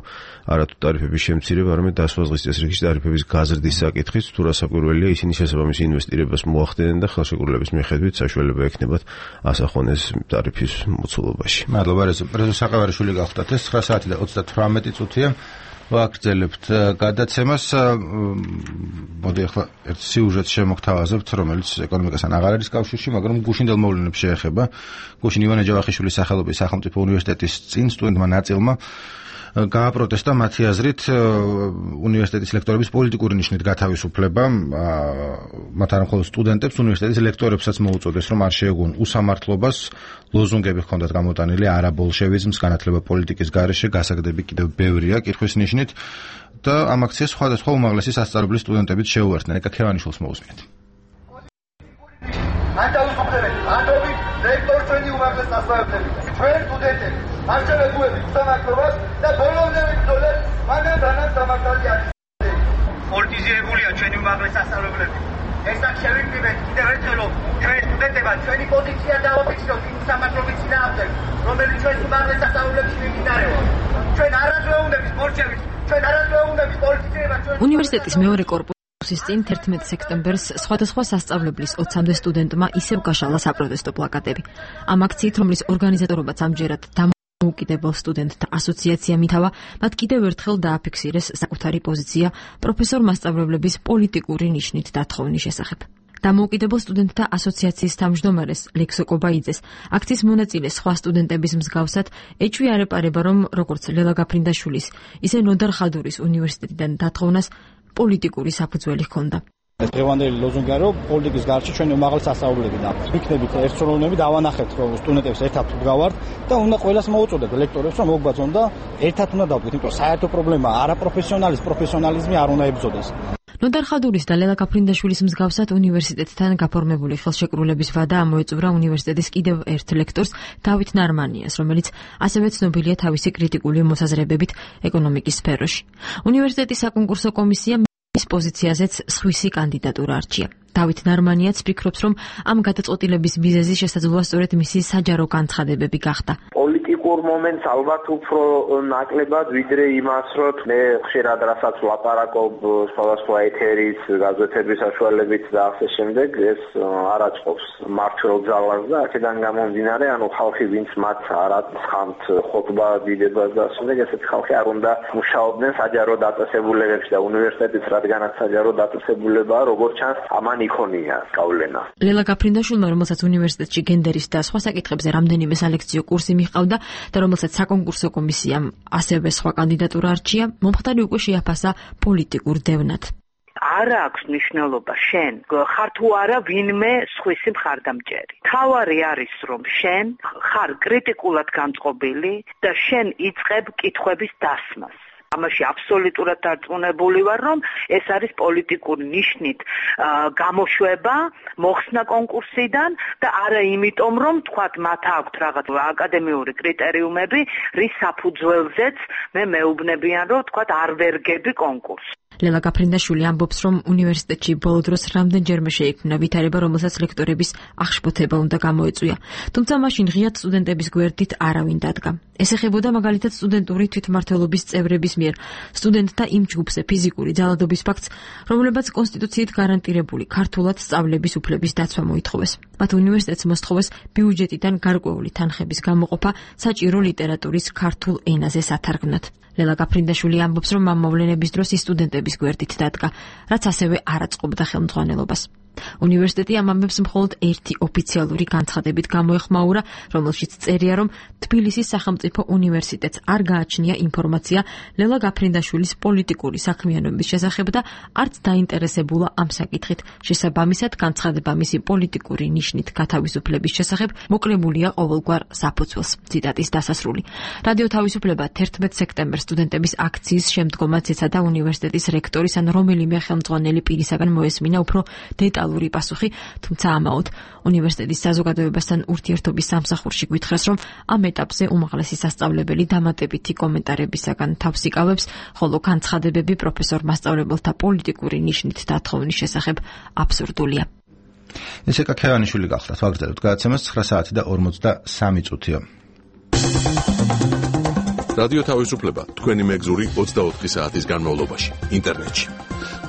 არათუ ტარიფების შემცირება, არამედ დასვაზღვის წესრიგში ტარიფების გაზრდის საკითხით, თუ რასაკვირველია, ისინი შესაბამის ინვესტირებას მოახდენენ და ხელშეკრულების მიხედვით საშუალება ექნებათ ასახონ ეს ტარიფის მოცულობაში. მადლობა, რეზო. რეზო საყევარიშვილი გახდათ. ეს ცხრა საათი და ოცდათვრამეტი წუთია. ვაგრძელებთ გადაცემას. მოდი ახლა ერთ სიუჟეტს შემოგთავაზებთ, რომელიც ეკონომიკასთან აღარ არის კავშირში, მაგრამ გუშინდელ მოვლენებს შეეხება. გუშინ ივანე ჯავახიშვილის სახელობის სახელმწიფო უნივერსიტეტის წინ სტუდენტმა ნაწილმა გააპროტესტა მათი აზრით უნივერსიტეტის ლექტორების პოლიტიკური ნიშნით გათავისუფლება. მათ არ მხოლოდ სტუდენტებს, უნივერსიტეტის ლექტორებსაც მოუწოდეს, რომ არ შეეგუონ უსამართლობას, ლოზუნგები ჰქონდათ გამოტანილი არაბოლშევიზმს, განათლება პოლიტიკის გარეშე, გასაგდები კიდევ ბევრია კითხვის ნიშნით და ამ აქციას სხვადასხვა უმაღლესი სასწავლებლის სტუდენტებიც შეუერთდნენ. ეკა ქევანიშვილს მოусმინეთ. ან თავისუფლებით, ანდობით რექტორ ჩვენი უმაღლეს სასწავლებლები, ჩვენ სტუდენტები, არჩევენ გუებით სამართლობას და ბოლომდე ვიბრძოლეთ, მაგრამ რანაც დამარცხებული არის. პოლიტიზირებულია ჩვენი უმაღლეს სასწავლებლები. ეს აქ შევიკრიბეთ კიდევ ერთხელ, ჩვენ სტუდენტებად ჩვენი პოზიცია დავაფიქსიროთ იმ სამართლობის წინააღმდეგ, რომელიც ჩვენს უმაღლეს სასწავლებლებში მიმდინარეობს. ჩვენ არაძვეუნდების მორჩევით, ჩვენ არაძვეუნდების პოლიტიზირება ჩვენ უნივერსიტეტის მეორე კორპუსის წინ თერთმეტ სექტემბერს სხვადასხვა სასწავლებლის ოცამდე სტუდენტმა ისევ გაშალა საპროტესტო პლაკატები. ამ აქციით, რომლის ორგანიზატორობაც ამჯერად დამოუკიდებელ სტუდენტთა ასოციაციამ ითავა, მათ კიდევ ერთხელ დააფიქსირეს საკუთარი პოზიცია პროფესორ მასწავლებლების პოლიტიკური ნიშნით დათხოვნის შესახებ. დამოუკიდებელ სტუდენტთა ასოციაციის თავმჯდომარეს ლექსო კობაიძეს აქციის მონაწილე სხვა სტუდენტების მსგავსად ეჭვი არ ეპარება, რომ როგორც ლელა გაფრინდაშვილის, ისე ნოდარ ხადურის უნივერსიტეტიდან დათხოვნას პოლიტიკური საფუძველი ჰქონდა. ეს დღევანდელი ლოზუნგია, რომ პოლიტიკის გარშე ჩვენი უმაღლესი სასწავლებლები და იქნებით ერთსრულოვნები დავანახეთ, რომ სტუდენტებს ერთად ვდგავართ და უნდა ყველას მოუწოდეთ ლექტორებს, რომ მოგვბაძონ და ერთად უნდა დავდგეთ, იმიტომ რომ საერთო პრობლემა არაპროფესიონალის პროფესიონალიზმი არ უნდა ებრძოდეს. ნოდარ ხადურის და ლელა გაფრინდაშვილის მსგავსად უნივერსიტეტთან გაფორმებული ხელშეკრულების ვადა ამოეწურა უნივერსიტეტის კიდევ ერთ ლექტორს დავით ნარმანიას, რომელიც ასევე ცნობილია თავისი კრიტიკული მოსაზრებებით ეკონომიკის სფეროში. უნივერსიტეტის საკონკურსო კომისიამ მის პოზიციაზეც სხვისი კანდიდატურა არჩია. დავით ნარმანიაც ფიქრობს, რომ ამ გადაწყვეტილების მიზეზი შესაძლოა სწორედ მისი საჯარო განცხადებები გახდა. პოლიტიკურ მომენტს ალბათ უფრო ნაკლებად ვიდრე იმას, რომ მე ხშირად რასაც ვლაპარაკობ სხვადასხვა ეთერის, გაზეთების საშუალებით და ასე შემდეგ, ეს არ აწყობს მართლ ძალას და აქედან გამომდინარე, ანუ ხალხი ვინც მათ არ აცხამთ ხოტბა დიდებას და ასე შემდეგ, ესეთი ხალხი არ უნდა მუშაობდნენ საჯარო დაწესებულებებში და უნივერსიტეტის რადგანაც საჯარო დაწესებულებაა, როგორც ჩანს, ამან იქონია გავლენა. ლელა გაფრინდაშვილმა, რომელსაც უნივერსიტეტში გენდერის და სხვა საკითხებზე რამდენიმე სალექციო კურსი მიჰყავდა და რომელსაც საკონკურსო კომისიამ ასევე სხვა კანდიდატურა არჩია, მომხდარი უკვე შეაფასა პოლიტიკურ დევნად. არ აქვს მნიშვნელობა შენ ხარ თუ არა ვინმე სხვისი მხარდამჭერი. თავარი არის, რომ შენ ხარ კრიტიკულად განწყობილი და შენ იწყებ კითხვების დასმას. ამაში აბსოლუტურად დარწმუნებული ვარ, რომ ეს არის პოლიტიკური ნიშნით გამოშვება მოხსნა კონკურსიდან და არა იმიტომ, რომ თქვათ მათ აქვთ რაღაც აკადემიური კრიტერიუმები, რის საფუძველზეც მე მეუბნებიან, რომ თქვათ არ ვერგები კონკურსს. ლელა გაფრინდაშვილი ამბობს, რომ უნივერსიტეტში ბოლო დროს რამდენჯერმე შეიქმნა ვითარება, რომელსაც ლექტორების აღშფოთება უნდა გამოეწვია. თუმცა მაშინ ღიად სტუდენტების გვერდით არავინ დადგა. ეს ეხებოდა მაგალითად სტუდენტური თვითმმართველობის წევრების მიერ სტუდენტთა იმ ჯგუფზე ფიზიკური ძალადობის ფაქტს, რომლებაც კონსტიტუციით გარანტირებული ქართულად სწავლების უფლების დაცვა მოითხოვეს. მათ უნივერსიტეტს მოსთხოვეს ბიუჯეტიდან გარკვეული თანხების გამოყოფა საჭირო ლიტერატურის ქართულ ენაზე სათარგმნად. ლელა გაფრინდაშვილი ამბობს, რომ ამ მოვლენების დროს ის სტუდენტების გვერდით დადგა, რაც ასევე არ აწყობდა ხელმძღვანელობას. უნივერსიტეტი ამ ამბებს მხოლოდ ერთი ოფიციალური განცხადებით გამოეხმაურა, რომელშიც წერია, რომ თბილისის სახელმწიფო უნივერსიტეტს არ გააჩნია ინფორმაცია ლელა გაფრინდაშვილის პოლიტიკური საქმიანობის შესახებ და არც დაინტერესებულა ამ საკითხით. შესაბამისად, განცხადება მისი პოლიტიკური ნიშნით გათავისუფლების შესახებ მოკლებულია ყოველგვარ საფუძველს. ციტატის დასასრული. რადიო თავისუფლება თერთმეტ სექტემბერს სტუდენტების აქციის შემდგომაც ეცადა უნივერსიტეტის რექტორის ან რომელიმე ხელმძღვანელი პირისაგან მოესმინა უფრო დეტალური პასუხი, თუმცა ამაოდ უნივერსიტეტის საზოგადოებასთან ურთიერთობის სამსახურში გვითხრეს, რომ ამ ეტაპზე უმაღლესი სასწავლებელი დამატებითი კომენტარებისაგან თავს იკავებს, ხოლო განცხადებები პროფესორ მასწავლებელთა პოლიტიკური ნიშნით დათხოვნის შესახებ აბსურდულია. ესე კაქევანიშვილი გახლავთ, ვაგრძელებთ გადაცემას ცხრა საათი და ორმოცდასამი წუთია. რადიო თავისუფლება თქვენი მეგზური ოცდაოთხი საათის განმავლობაში ინტერნეტში.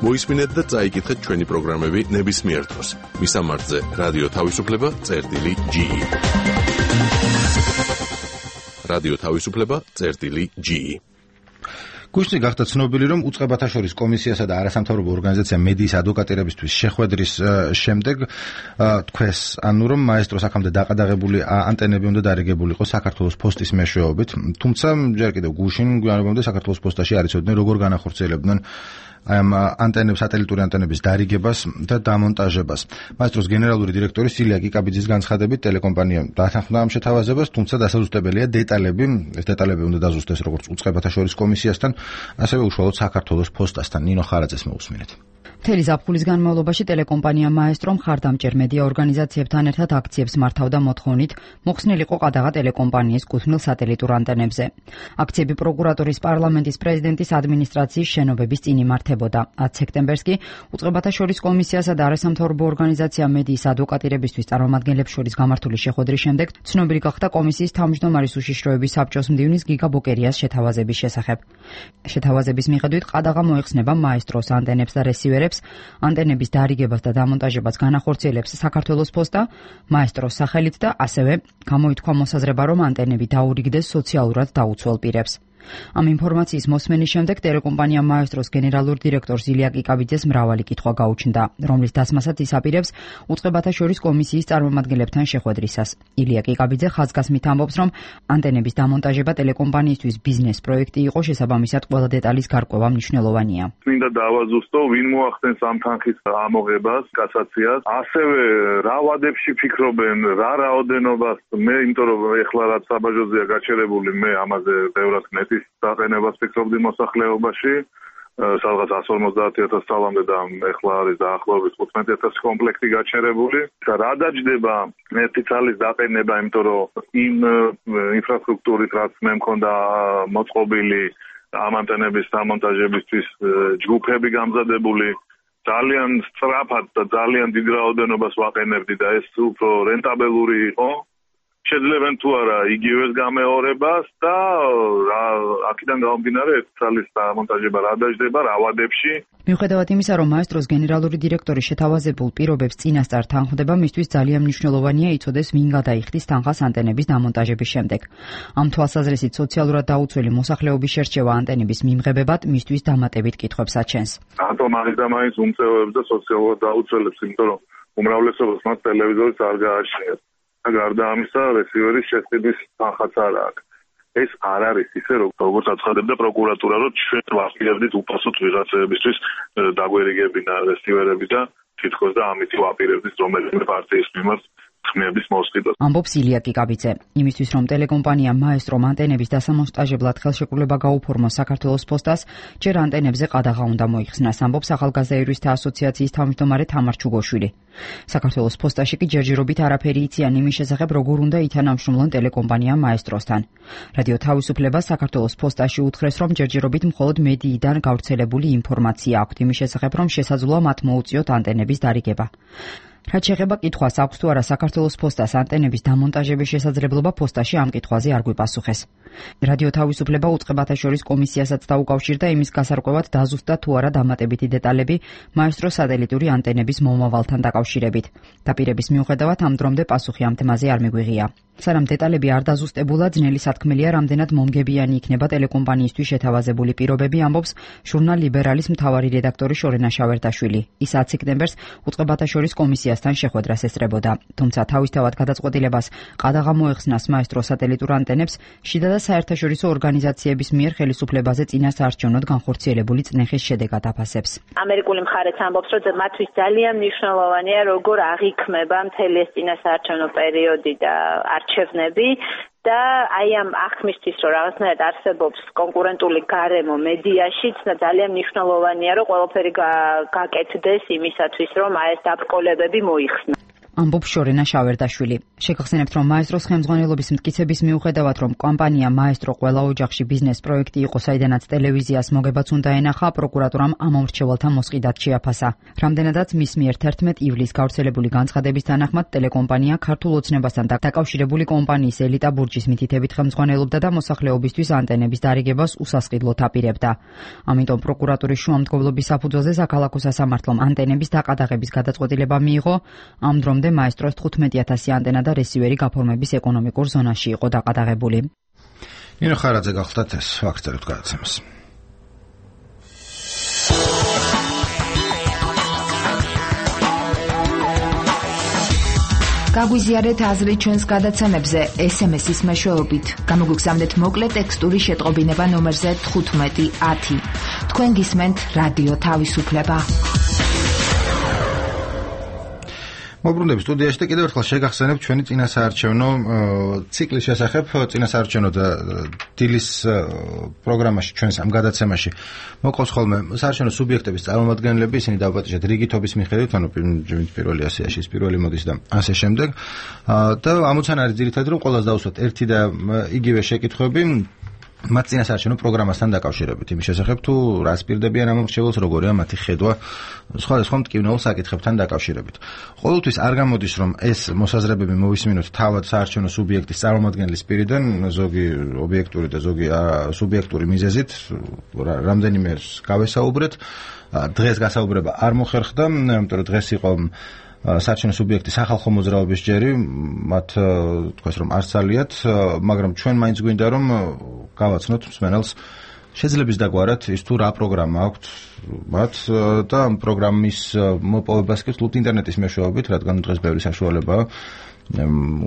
მოისმინეთ და წაიკითხეთ ჩვენი პროგრამები ნებისმიერ დროს. მისამართზე რადიო თავისუფლება წერტილი ჯი. რადიო თავისუფლება წერტილი ჯი. გუშინი გახდა ცნობილი, რომ უწყებათა შორის კომისიასა და არასამთავრობო ორგანიზაცია მედიის ადვოკატირებისთვის შეხვედრის შემდეგ თქვეს, ანუ რომ მაესტროს აქამდე დაყადაღებული ანტენები უნდა დარიგებული იყოს საქართველოს ფოსტის მეშვეობით, თუმცა ჯერ კიდევ გუშინ გვიანობამდე საქართველოს ფოსტაში არ იცოდნენ, როგორ განახორციელებდნენ აი ამ ანტენების, სატელიტური ანტენების დარიგებას და დამონტაჟებას. მაესტროს გენერალური დირექტორი სილია კიკაბიძის განცხადებით, ტელეკომპანიამ დათანხმდა ამ შეთავაზებას, თუმცა დასაზუსტებელია დეტალები, ეს დეტალები უნდა დაზუსტდეს როგორც უწყებათა შორის კომისიასთან, ასევე უშუალოდ საქართველოს ფოსტასთან. ნინო ხარაძეს მოусმინეთ. მთელი ზაფხულის განმავლობაში ტელეკომპანია მაესტრო მხარდამჭერ მედია ორგანიზაციებთან ერთად აქციებს მართავდა მოთხოვნით მოხსნილიყო ყადაღა ტელეკომპანიის კუთვნილ სატელიტურ ანტენებზე. აქციები პროკურატურის, პარლამენტის, პრეზიდენტის ადმინისტრაციის შენობების წინ იმართებოდა. ათი სექტემბერს კი უწყებათა შორის კომისიასა და არასამთავრობო ორგანიზაცია მედიის ადვოკატირებისთვის წარმომადგენლებს შორის გამართული შეხვედრის შემდეგ ცნობილი გახდა კომისიის თავმჯდომარის უშიშროების საბჭოს მდივნის გიგა ბოკერიას შეთავაზების შესახებ. შეთავაზების მიხედვით ყადაღა მოიხსნება მაესტროს ანტენებს და რესივერებს, ანტენების დარიგებას და დამონტაჟებას განახორციელებს საქართველოს ფოსტა მაესტროს სახელით და ასევე გამოითქვა მოსაზრება, რომ ანტენები დაურიგდეს სოციალურად დაუცველ პირებს. ამ ინფორმაციის მოსმენის შემდეგ ტელეკომპანია მაესტროს გენერალურ დირექტორს ილია კიკაბიძეს მრავალი კითხვა გაუჩნდა, რომლის დასმასაც ის აპირებს უწყებათა შორის კომისიის წარმომადგენლებთან შეხვედრისას. ილია კიკაბიძე ხაზგასმით ამბობს, რომ ანტენების დამონტაჟება ტელეკომპანიისთვის ბიზნეს პროექტი იყო, შესაბამისად ყველა დეტალის გარკვევა მნიშვნელოვანია. მინდა დავაზუსტო, ვინ მოახდენს ამ თანხის ამოღებას, კასაციას, ასევე რა ვადებში ფიქრობენ, რა რაოდენობას, მე იმიტომ რომ ეხლა რაც საბაჟოზეა გაჩერებული, მე ამაზე ბევრად დაყენებას ფიქრობდი მოსახლეობაში, სადღაც εκατს ორმოცდაათი ათასი წლამდე და ეხლა არის დაახლოებით თხუთმეტი ათასი კომპლექტი გაჩერებული. და რა დაჯდება ერთი წლის დაყენება, იმიტომ რომ იმ ინფრასტრუქტურით, რაც მე მქონდა მოწყობილი ამ ანტენების დამონტაჟებისთვის ჯგუფები გამზადებული, ძალიან სწრაფად და ძალიან დიდ რაოდენობას ვაყენებდი და ეს უფრო რენტაბელური იყო. შეძლებენ თუ არა იგივეს გამეორებას და აქედან გამომდინარე ერთ წლის დამონტაჟება რა დაждდება რა ვადებში. მიუხედავად იმისა, რომ მაესტროს გენერალური დირექტორი შეთავაზებულ პირობებს წინასწარ თანხმდება, მისთვის ძალიან მნიშვნელოვანია იცოდეს, ვინ გადაიხდის თანხას ანტენების დამონტაჟების შემდეგ. ამ თვალსაზრისით სოციალურად დაუცველი მოსახლეობის შერჩევა ანტენების მიმღებებად მისთვის დამატებით კითხვებს აჩენს. რატომ არის და მაინც უმწევრებს და სოციალურად დაუცველებს, იმიტომ რომ უმრავლესობას მათ ტელევიზორიც არ გააჩნიათ. გარდა ამისა, რესივერის შეყიდვის თანხაც არ აქვს. ეს არ არის ისე, როგორც აცხადებდა პროკურატურა, რომ ჩვენ ვაპირებდით უპასუხოდ ვიღაცებისთვის დაგვერიგებინა რესივერები და თითქოს და ამით ვაპირებდით რომელიმე პარტიის მიმართ ხმების მოსყიდვას. ამბობს ილია კიკაბიძე. იმისთვის, რომ ტელეკომპანია მაესტრომ ანტენების დასამონტაჟებლად ხელშეკრულება გაუფორმოს საქართველოს ფოსტას, ჯერ ანტენებზე ყადაღა უნდა მოიხსნას, ამბობს ახალგაზრდა იურისტთა ასოციაციის თავმჯდომარე თამარ ჩუგოშვილი. საქართველოს ფოსტაში კი ჯერჯერობით არაფერი იციან იმის შესახებ, როგორ უნდა ითანამშრომლონ ტელეკომპანია მაესტროსთან. რადიო თავისუფლება საქართველოს ფოსტაში უთხრეს, რომ ჯერჯერობით მხოლოდ მედიიდან გავრცელებული ინფორმაცია აქვთ იმის შესახებ, რომ შესაძლოა მათ მოუწიოთ ანტენების დარიგება. რაც შეეხება კითხვას, აქვს თუ არა საქართველოს ფოსტას ანტენების დამონტაჟების შესაძლებლობა, ფოსტაში ამ კითხვაზე არ გვიპასუხეს. რადიო თავისუფლება უწყებათა შორის კომისიასაც დაუკავშირდა იმის გასარკვევად დაზუსტდა თუ არა დამატებითი დეტალები მაესტროს სატელიტური ანტენების მომავალთან დაკავშირებით. დაპირების მიუხედავად ამ დრომდე პასუხი ამ თემაზე არ მიგვიღია. სანამ დეტალები არ დაზუსტებულა, ძნელი სათქმელია, რამდენად მომგებიანი იქნება ტელეკომპანიისთვის შეთავაზებული პირობები, ამბობს ჟურნალ ლიბერალის მთავარი რედაქტორი შორენა შავერდაშვილი. ის ათი სექტემბერს უწყებათა შორის კომისიასთან შეხვედრას ესწრებოდა. თუმცა თავისთავად გადაწყვეტილებას ყადაღა მოეხსნას მაესტროს სატელიტურ ანტენებს შიდა და საერთაშორისო ორგანიზაციების მიერ ხელისუფლებაზე წინასაარჩევნოდ განხორციელებული წნეხის შედეგად აფასებს. ამერიკული მხარეც ამბობს, რომ მათთვის ძალიან მნიშვნელოვანია, როგორ აღიქმება მთელი ეს წინასაარჩევნო პერიოდი და არჩევნები და აი ამ აღქმისთვის, რომ რაღაცნაირად არსებობს კონკურენტული გარემო მედიაშიც და ძალიან მნიშვნელოვანია, რომ ყველაფერი გაკეთდეს იმისათვის, რომ აი ეს დაბრკოლებები მოიხსნა. ამბობს შორენა შავერდაშვილი. შეგახსენებთ, რომ მაესტროს ხელმძღვანელობის მტკიცების მიუხედავად, რომ კომპანია მაესტრო ყველა ოჯახში ბიზნეს პროექტი იყო, საიდანაც ტელევიზიას მოგებაც უნდა ენახა, პროკურატურამ ამ მომრჩეველთა მოსყიდად შეაფასა. რამდენადაც მის მიერ თერთმეტი ივლისს გავრცელებული განცხადების თანახმად ტელეკომპანია ქართულ ოცნებასთან დაკავშირებული კომპანიის ელიტა ბურჯის მითითებით ხელმძღვანელობდა და მოსახლეობისთვის ანტენების დარიგებას უსასყიდლოდ აპირებდა. ამიტომ პროკურატურის შუამდგომლობის საფუძველზე საქალაქო სასამართლომ ანტენების დაყადაღების გადაწყვეტილება მიიღო. ამ დრომდე მაესტროს თხუთმეტი ათასი ანტენა და რესივერი გაფორმების ეკონომიკურ ზონაში იყო დაყადაღებული. ნინო ხარაძე გახლდათ ეს ვაქცევით გადაცემას. გაგვიზიარეთ აზრი ჩვენს გადაცემებზე ეს ემ ეს-ის მეშვეობით. გამოგვიგზავნეთ მოკლე ტექსტური შეტყობინება ნომერზე თხუთმეტი ათი. თქვენ გისმენთ რადიო თავისუფლება. მოbrunდები სტუდიაში და კიდევ ერთხელ შეგახსენებ ჩვენი წინასაარჩევნო ციკლის შესახებ წინასაარჩევნო და დილის პროგრამაში ჩვენს ამ გადაცემაში მოყავს ხოლმე საარჩევნო სუბიექტების წარმომადგენლები, ისინი დავაპატიჟეთ რიგითობის მიხედვით, ანუ პირველი ასიაში ის პირველი მოდის და ასე შემდეგ. და ამოცანა არის ძირითადად რომ ყველას დავუსვათ ერთი და იგივე შეკითხვები მათ წინასაარჩევნო პროგრამასთან დაკავშირებით, იმის შესახებ თუ რას პირდებიან ამ მრჩეველს, როგორია მათი ხედვა სხვადასხვა მტკივნეულ საკითხებთან დაკავშირებით. ყოველთვის არ გამოდის რომ ეს მოსაზრებები მოვისმინოთ თავად საარჩევნო სუბიექტის წარმომადგენლის პირიდან, ზოგი ობიექტური და ზოგი სუბიექტური მიზეზით, რამდენიმე გავესაუბრეთ. დღეს გასაუბრება არ მოხერხდა, იმიტომ რომ დღეს იყო საარჩევნო სუბიექტის სახალხო მოძრაობის ჯერი, მათ თქვას რომ არ ცალიათ, მაგრამ ჩვენ მაინც გვინდა რომ გავაცნოთ მსმენელს შეძლებს დაგვარათ ის თუ რა პროგრამა აქვთ მათ და ამ პროგრამის მოპოვებას კი ვთქვით ინტერნეტის მეშვეობით, რადგან დღეს ბევრი საშუალებაა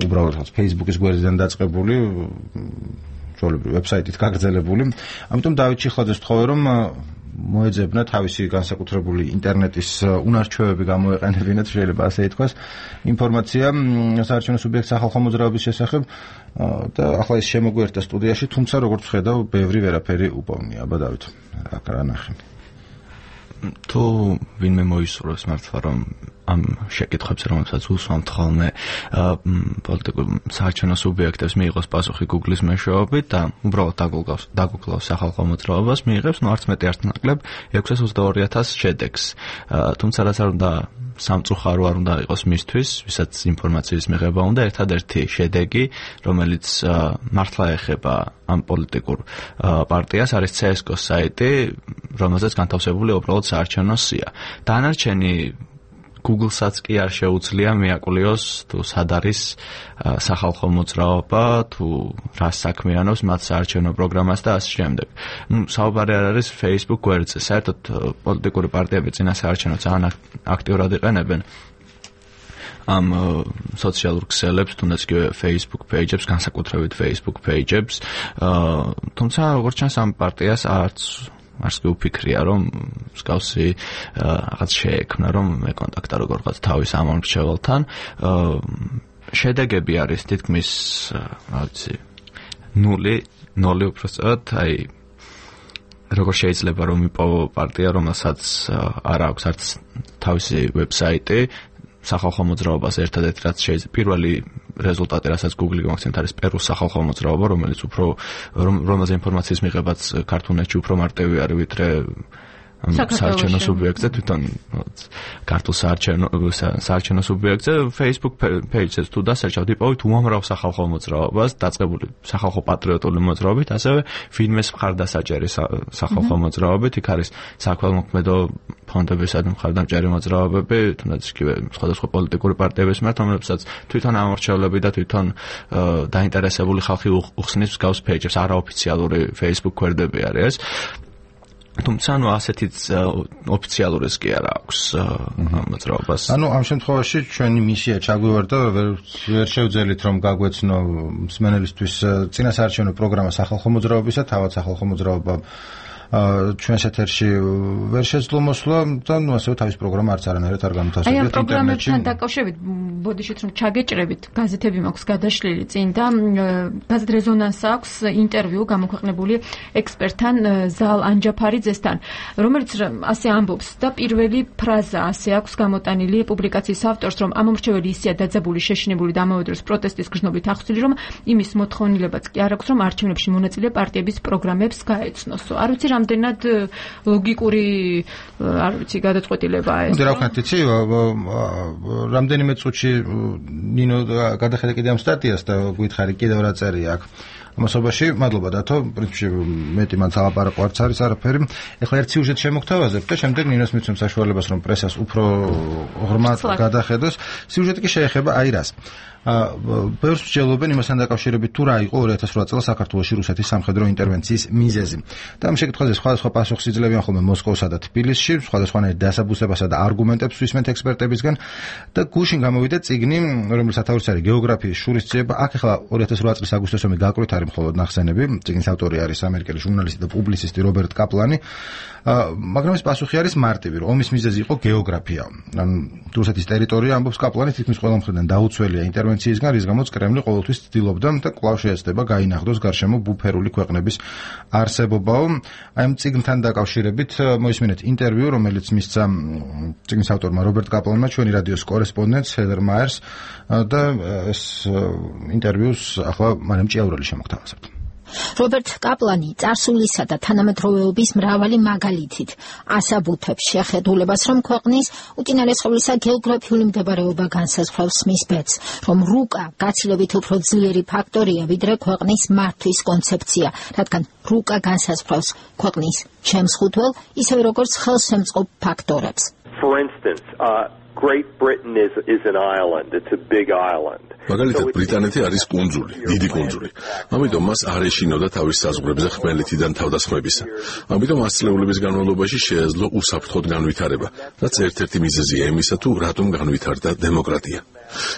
უბრალოდ Facebook-ის გვერდიდან დაწყებული, ჩვეულებრივ ვებსაიტით გაგრძელებული. ამიტომ დავით ჩიხლაძეს ვთხოვე რომ მოეძებნა თავისი განსაკუთრებული ინტერნეტის უნარჩვევები გამოეყენებინათ, შეიძლება ასე ითქვას, ინფორმაცია საარჩევნო სუბიექტის სახალხო მოძრაობის შესახებ და ახლა ის შემოგვიერთდა სტუდიაში, თუმცა როგორც ხედავ, ბევრი ვერაფერი უპოვნია. აბა დავით, რა ნახე? თუ ვინმე მოისურვებს მართლა რომ ამ შეკითხვებს რომელსაც უსვამთ ხოლმე პოლიტიკურ საარჩევნო სუბიექტებს მიიღოს პასუხი Google-ის მეშვეობით და უბრალოდ დაგუგლავს სახალხო მოძრაობას, მიიღებს ნუ არც მეტი არც ნაკლებ ექვსას ოცდაორი ათას შედეგს. თუმცა რაც არ უნდა სამწუხარო არ უნდა იყოს მისთვის, ვისაც ინფორმაციის მიღება უნდა, ერთადერთი შედეგი, რომელიც მართლა ეხება ამ პოლიტიკურ პარტიას, არის C S G O-s საიტი, რომელზეც განთავსებულია უბრალოდ საარჩევნო სია. დანარჩენი Google-საც კი არ შეუძლია მიაკლიოს თუ სად არის სახალხო მოძრაობა, თუ რა საქმიანობს მათ საარჩევნო პროგრამას და ასე შემდეგ. ნუ საუბარი არ არის Facebook გვერდზე, საერთოდ პოლიტიკური პარტიები წინასაარჩევნო ძალიან აქტიურად იყენებენ ამ სოციალურ ქსელებს, თუნდაც კი Facebook page-ებს, განსაკუთრებით Facebook page-ებს. თუმცა როგორც ჩანს ამ პარტიას არც არც კი უფიქრია რომ მსგავსი რაღაც შეექმნა რომ მეკონტაქტა როგორღაც თავის ამ მრჩეველთან. შედეგები არის თითქმის რა ვიცი ნული, ნული უბრალოდ, აი როგორ შეიძლება რომ იპოვო პარტია, რომელსაც არ აქვს არც თავისი ვებსაიტი, სახალხო მოძრაობას ერთადერთი რაც შეიძლება პირველი რეზულტატი რასაც Google გამახსენეთ არის პერუს სახალხო მოძრაობა, რომელიც უფრო რომელზე ინფორმაციის მიღებაც ქართულში უფრო მარტივი არის ვიდრე საარჩევნო სუბიექტზე, თვითონ ქართულ საარჩევნო საარჩევნო სუბიექტზე Facebook page-ზე თუ დასერჩავთ იპოვით უამრავ სახალხო მოძრაობას, დაწყებული სახალხო პატრიოტული მოძრაობით, ასევე ვინმეს მხარდასაჭერი სახალხო მოძრაობით, იქ არის საქველმოქმედო ფონდებისა და მხარდამჭერი მოძრაობები, თუნდაც იგივე სხვადასხვა პოლიტიკური პარტიების მიმართ, რომლებსაც თვითონ ამორჩევლები და თვითონ დაინტერესებული ხალხი უხსნის მსგავს page-ებს, არაოფიციალური Facebook გვერდები არის ეს. თუმცა ნუ ასეთი ოფიციალურიც კი არ აქვს მოძრაობას. ანუ ამ შემთხვევაში ჩვენი მისია ჩაგვივარდა, ვერ შევძელით რომ გაგვეცნო მსმენელისთვის წინასაარჩევნო პროგრამა სახალხო მოძრაობისა, თავად სახალხო მოძრაობა ჩვენს ეთერში ვერ შეძლო მოსვლა და ნუ ასევე თავის პროგრამა არც არანაირად არ განთავსებია ინტერნეტში. აი ამ პროგრამებთან დაკავშირებით ბოდიშით რომ ჩაგეჭრებით, გაზეთები მაქვს გადაშლილი წინ და გაზეთ რეზონანს აქვს ინტერვიუ გამოქვეყნებული ექსპერტთან ზალ ანჯაფარიძესთან, რომელიც ასე ამბობს და პირველი ფრაზა ასე აქვს გამოტანილი პუბლიკაციის ავტორს, რომ ამ მომრჩეველი ისეა დაძაბული, შეშინებული და ამავე დროს პროტესტის გრძნობით ახსნილი, რომ იმის მოთხოვნილებაც კი არ აქვს, რომ არჩევნებში მონაწილე პარტიების პროგრამებს გაეცნოსო. არ ვიცი რამდენად ლოგიკური არ ვიცი გადაწყვეტილებაა ეს. რა ვქნათ იცი, რამდენიმე წუთში ნინო გადახედა კიდე ამ სტატიას და გითხარი კიდევ რა წერია აქ. მასობაში. მადლობა დათო, პრინციპში მეტი მან სალაპარაკო არც არის არაფერი. ეხლა ერთ სიუჟეტს შემოგთავაზებ და შემდეგ ნინოს მიცემ საშუალებას რომ პრესას უფრო ღრმად გადახედოს. სიუჟეტი კი შეეხება აი რას. ბევრს მსჯელობენ იმასთან დაკავშირებით თუ რა იყო ორი ათას ოთხ წელს საქართველოში რუსეთის სამხედრო ინტერვენციის მიზეზი. და ამ შეკითხვაზე სხვადასხვა პასუხს იძლევიან ხოლმე მოსკოვსა და თბილისში, სხვადასხვანაირ დასაბუსებასა და არგუმენტებს ვისმენთ ექსპერტებისგან და გუშინ გამოვიდა წიგნი, რომლის სათაურიც არის გეოგრაფიის შურისძიება. აქ ახლა ორი ათას ოთხ წლის აგვისტოს ომი გაკვეთ არის მხოლოდ ნახსენები. წიგნის ავტორი არის ამერიკელი ჟურნალისტი და პუბლიცისტი რობერტ კაპლანი. მაგრამ ეს პასუხი არის მარტივი, რომ ომის მიზეზი იყო გეოგრაფია. ან რუსეთის ტერიტორია ამბობს კაპლანი თითქმის ყველა მხრიდან დაუცველია ინტერვენციისგან, რის გამოც კრემლი ყოველთვის ცდილობდა და კვლავ შეეცდება გაინახდოს გარშემო ბუფერული ქვეყნების არსებობაო. აი ამ წიგნთან დაკავშირებით მოისმინეთ ინტერვიუ, რომელიც მისცა წიგნის ავტორმა რობერტ კაპლანმა ჩვენი რადიოს კორესპონდენტს ჰედერ მაიერს და ეს ინტერვიუს ახლა მარიამ ჭიაურელი შემოგთავაზებთ. რობერტ კაპლანი წარსულისა და თანამედროვეობის მრავალი მაგალითით ასაბუთებს შეხედულებას, რომ ქვეყნის უწინარესობლისა გეოგრაფიული მდებარეობა განსაზღვრავს მის ბედს, რომ რუკა გაცილებით უფრო ძლიერი ფაქტორია, ვიდრე ქვეყნის მართვის კონცეფცია, რადგან რუკა განსაზღვრავს ქვეყნის შემსხუთველ, ისევე როგორც ხელშემწყობ ფაქტორებს. For instance, uh, Great Britain is is an island. It's a big island. მაგალითად ბრიტანეთი არის კუნძული, დიდი კუნძული. ამიტომ მას არ ეშინოდა თავის საზღვრებზე ხმელეთიდან თავდასხმებისა. ამიტომ ასწლეულების განმავლობაში შეეძლო უსაფრთხოდ განვითარება, რაც ერთ-ერთი მიზეზია იმისა, თუ რატომ განვითარდა დემოკრატია.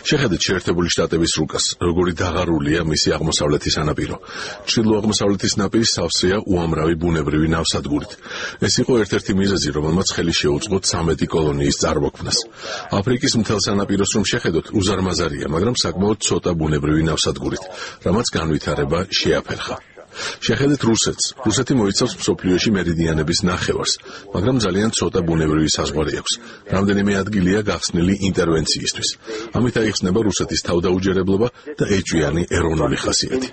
შეხედეთ შეერთებული შტატების რუკას, როგორი დაღარულია მისი აღმოსავლეთის სანაპირო. ჩრდილო-აღმოსავლეთის ნაპირი სავსეა უამრავი ბუნებრივი ნავსადგურით. ეს იყო ერთ-ერთი მიზეზი, რომელმაც ხელი შეუწყო ცამეტი კოლონიის წარმოქმნას. აფრიკის მთელ სანაპიროს რომ შეხედოთ, უზარმაზარია, მაგრამ საკმაოდ ცოტა ბუნებრივი ნავსადგურით, რამაც განვითარება შეაფერხა. შეხედეთ რუსეთს. რუსეთი მოიცავს მსოფლიოში მერიდიანების ნახევარს, მაგრამ ძალიან ცოტა ბუნებრივი საზღვარი აქვს. რამდენიმე ადგილია გახსნილი ინტერვენციისთვის. ამით აიხსნება რუსეთის თავდაუჯერებლობა და ეჭვიანი ეროვნული ხასიათი.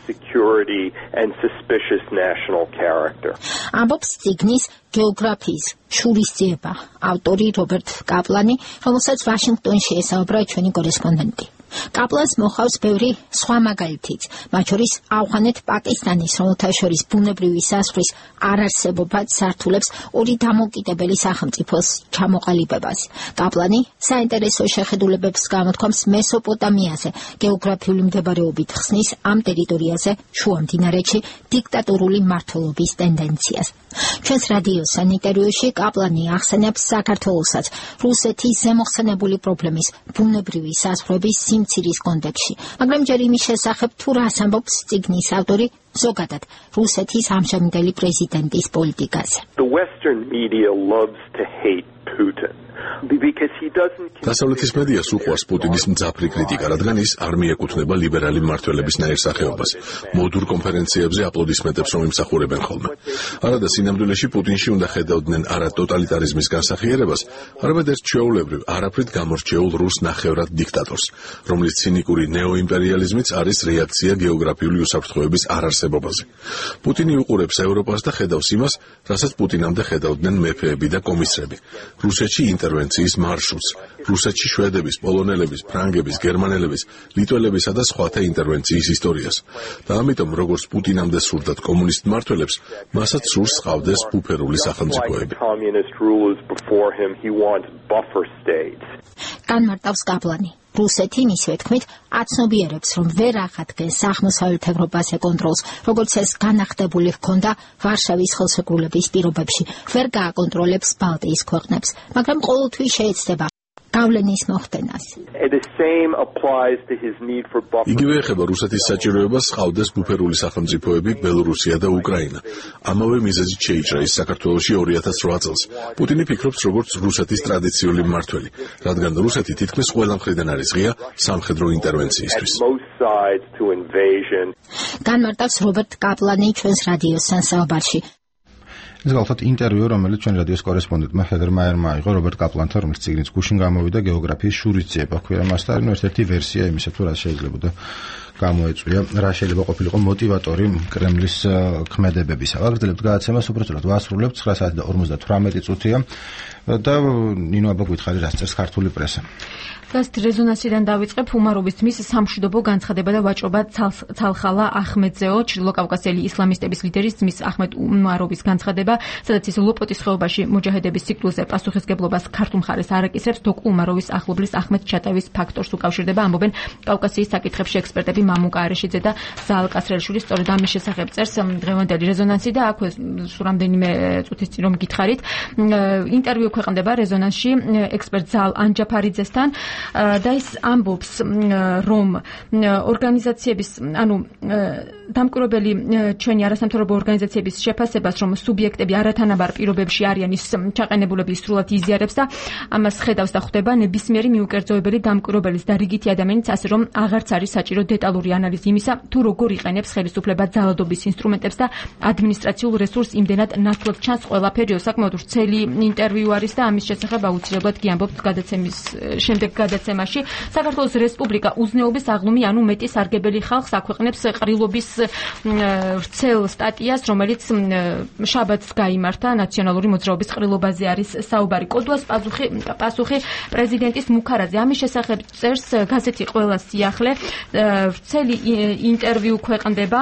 ამბობს წიგნის გეოგრაფიის შურისძიება ავტორი რობერტ კაპლანი, რომელსაც ვაშინგტონში ესაუბრა ჩვენი კორესპონდენტი. კაპლანს მოხავს ბევრი სხვა მაგალითიც, მათ შორის ავღანეთ პაკისტანის, რომელთა შორის ბუნებრივი საზღვრის არარსებობაც სართულებს ორი დამოუკიდებელი სახელმწიფოს ჩამოყალიბებას. კაპლანი საინტერესო შეხედულებებს გამოთქვამს მესოპოტამიაზე, გეოგრაფიული მდებარეობით ხსნის ამ ტერიტორიაზე შუამდინარეთში დიქტატურული მმართველობის ტენდენციას. ჩვენს რადიოსთან ინტერვიუში კაპლანი ახსენებს საქართველოსაც რუსეთის ზემოხსენებული პრობლემის ბუნებრივი საზღვრების სიმცირის კონტექსში, მაგრამ ჯერ იმის შესახებ თუ რას ამბობს წიგნის ავტორი ზოგადად რუსეთის ამჟამინდელი პრეზიდენტის პოლიტიკაზე. The Western media loves to hate Putin. დასავლეთის მედიას უყვარს პუტინის მძაფრი კრიტიკა, რადგან ის არ მიეკუთვნება ლიბერალი მმართველების ნაირ სახეობას. მოდურ კონფერენციებზე აპლოდისმენტებს რომ იმსახურებენ ხოლმე. არადა სინამდვილეში პუტინში უნდა ხედავდნენ არა ტოტალიტარიზმის განსახიერებას, არამედ ერთ ჩვეულებრივ, არაფრით გამორჩეულ რუს ნახევრად დიქტატორს, რომლის ცინიკური ნეოიმპერიალიზმიც არის რეაქცია გეოგრაფიული უსაფრთხოების არარსებობაზე. პუტინი უყურებს ევროპას და ხედავს იმას, რასაც პუტინამდე ხედავდნენ მეფეები და კომისრები. რუსეთში ინტერვენციის მარშრუტს, რუსეთში შვედების, პოლონელების, ფრანგების, გერმანელების, ლიტველებისა და სხვათა ინტერვენციის ისტორიას. და ამიტომ, როგორც პუტინამდე სურდათ კომუნისტ მმართველებს, მასაც სურს ჰყავდეს ბუფერული სახელმწიფოები. განმარტავს კაპლანი. რუსეთი მისივე თქმით აცნობიერებს, რომ ვერ ახადგენს აღმოსავლეთ ევროპაზე კონტროლს, როგორც ეს განახდებული ჰქონდა ვარშავის ხელშეკრულების პირობებში, ვერ გააკონტროლებს ბალტიის ქვეყნებს, მაგრამ ყოველთვის შეეცდება გავლენის მოხდენას. იგივე ეხება რუსეთის საჭიროებას ჰყავდეს ბუფერული სახელმწიფოები ბელორუსია და უკრაინა. ამავე მიზეზით შეიჭრა ის საქართველოში ორი ათას რვა წელს. პუტინი ფიქრობს როგორც რუსეთის ტრადიციული მმართველი, რადგან რუსეთი თითქმის ყველა მხრიდან არის ღია სამხედრო ინტერვენციისთვის. განმარტავს რობერტ კაპლანი ჩვენს რადიოსთან საუბარში. ეს გახლავთ ინტერვიუ, რომელიც ჩვენ რადიოს კორესპონდენტმა ჰედერ მაიერმა აიღო რობერტ კაპლანთან, რომელიც წიგნის გუშინ გამოვიდა გეოგრაფიის შურისძიება. ქვია მასთან ერთ-ერთი ვერსია იმისა, თუ რა შეიძლებოდა გამოეწვია, რა შეიძლება ყოფილიყო მოტივატორი კრემლის ქმედებებისა. ვაგრძელებთ გადაცემას, უბრალოდ ვასრულებთ ცხრა საათი და ორმოცდათვრამეტი წუთია და ნინო აბა გითხარი რას წერს ქართული პრესა. დგას რეზონანსიდან დავიწყებ უმარობის თმის სამშვიდობო განცხადება და ვაჭრობა ცალხალა ახმედზეო ჩრდილო კავკასიელი ისლამისტების ლიდერის თმის ახმედ უმარობის განცხადება, სადაც ის ლოპოტის ხეობაში მოჯაჰედების ციკლზე პასუხისგებლობას ქართულ მხარეს არ აკისრებს, დოკ უმაროვის ახლობლის ახმედ ჩატავის ფაქტორს უკავშირდება, ამბობენ კავკასიის საკითხებში ექსპერტები მამუკა არეშიძე და ზაალ კასრელშვილი. სწორედ ამის შესახებ წერს დღევანდელი რეზონანსი და აქვე სულ რამდენიმე წუთის წინ რომ გითხარით, ინტერვიუ ქვეყნდება რეზონანსში ექსპერტ ზაალ ანჯაფარიძესთან და ის ამბობს, რომ ორგანიზაციების, ანუ დამკვირვებელი ჩვენი არასამთავრობო ორგანიზაციების შეფასებას, რომ სუბიექტები არათანაბარ პირობებში არიან, ის ჩაყენებულები სრულად იზიარებს და ამას ხედავს და ხვდება ნებისმიერი მიუკერძოებელი დამკვირვებელის და რიგითი ადამიანის, ასე რომ აღარც არის საჭირო დეტალური ანალიზი იმისა, თუ როგორ იყენებს ხელისუფლება ძალადობის ინსტრუმენტებს და ადმინისტრაციულ რესურსს იმდენად ნათლად ჩანს ყველაფერი. საკმაოდ ვრცელი ინტერვიუ არის და ამის შესახებ აუცილებლად კი ამბობთ გადაცემის შემდეგ გადაცემაში. საქართველოს რესპუბლიკა უზნეობის აღლუმი, ანუ მეტი სარგებელი ხალხს აქვეყნებს ყრილობის ვრცელ სტატიას, რომელიც შაბათს გაიმართა ნაციონალური მოძრაობის ყრილობაზე არის საუბარი. კოდუას პასუხი პასუხი პრეზიდენტის მუქარაძე. ამის შესახებ წერს გაზეთი ყველა სიახლე. ვრცელი ინტერვიუ ქვეყნდება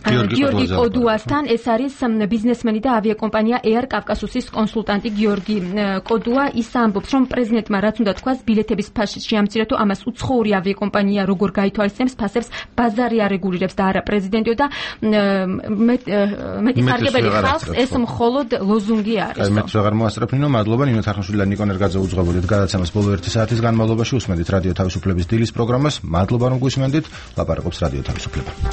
გიორგი კოდუასთან. ეს არის ბიზნესმენი და ავიაკომპანია Air Caucasus-ის კონსულტანტი გიორგი კოდუა. ის ამბობს, რომ პრეზიდენტმა რაც უნდა თქვას, ბილეთების ფასი შეამცირეთო, ამას უცხოური ავიაკომპანია როგორ გაითვალისწინებს ფასებს, ბაზარი არეგულირებს და არა პრეზიდენტიო და მეტი სარგებელი ხალხს ეს მხოლოდ ლოზუნგი არის. აი მეც აღარ მოასწრებ ნინო, მადლობა. ნინო თარხნიშვილი და ნიკო ნერგაძე უძღვებოდით გადაცემას ბოლო ერთი საათის განმავლობაში. უსმენდით რადიო თავისუფლების დილის პროგრამას. მადლობა რომ გვისმენდით. ლაპარაკობს რადიო თავისუფლება.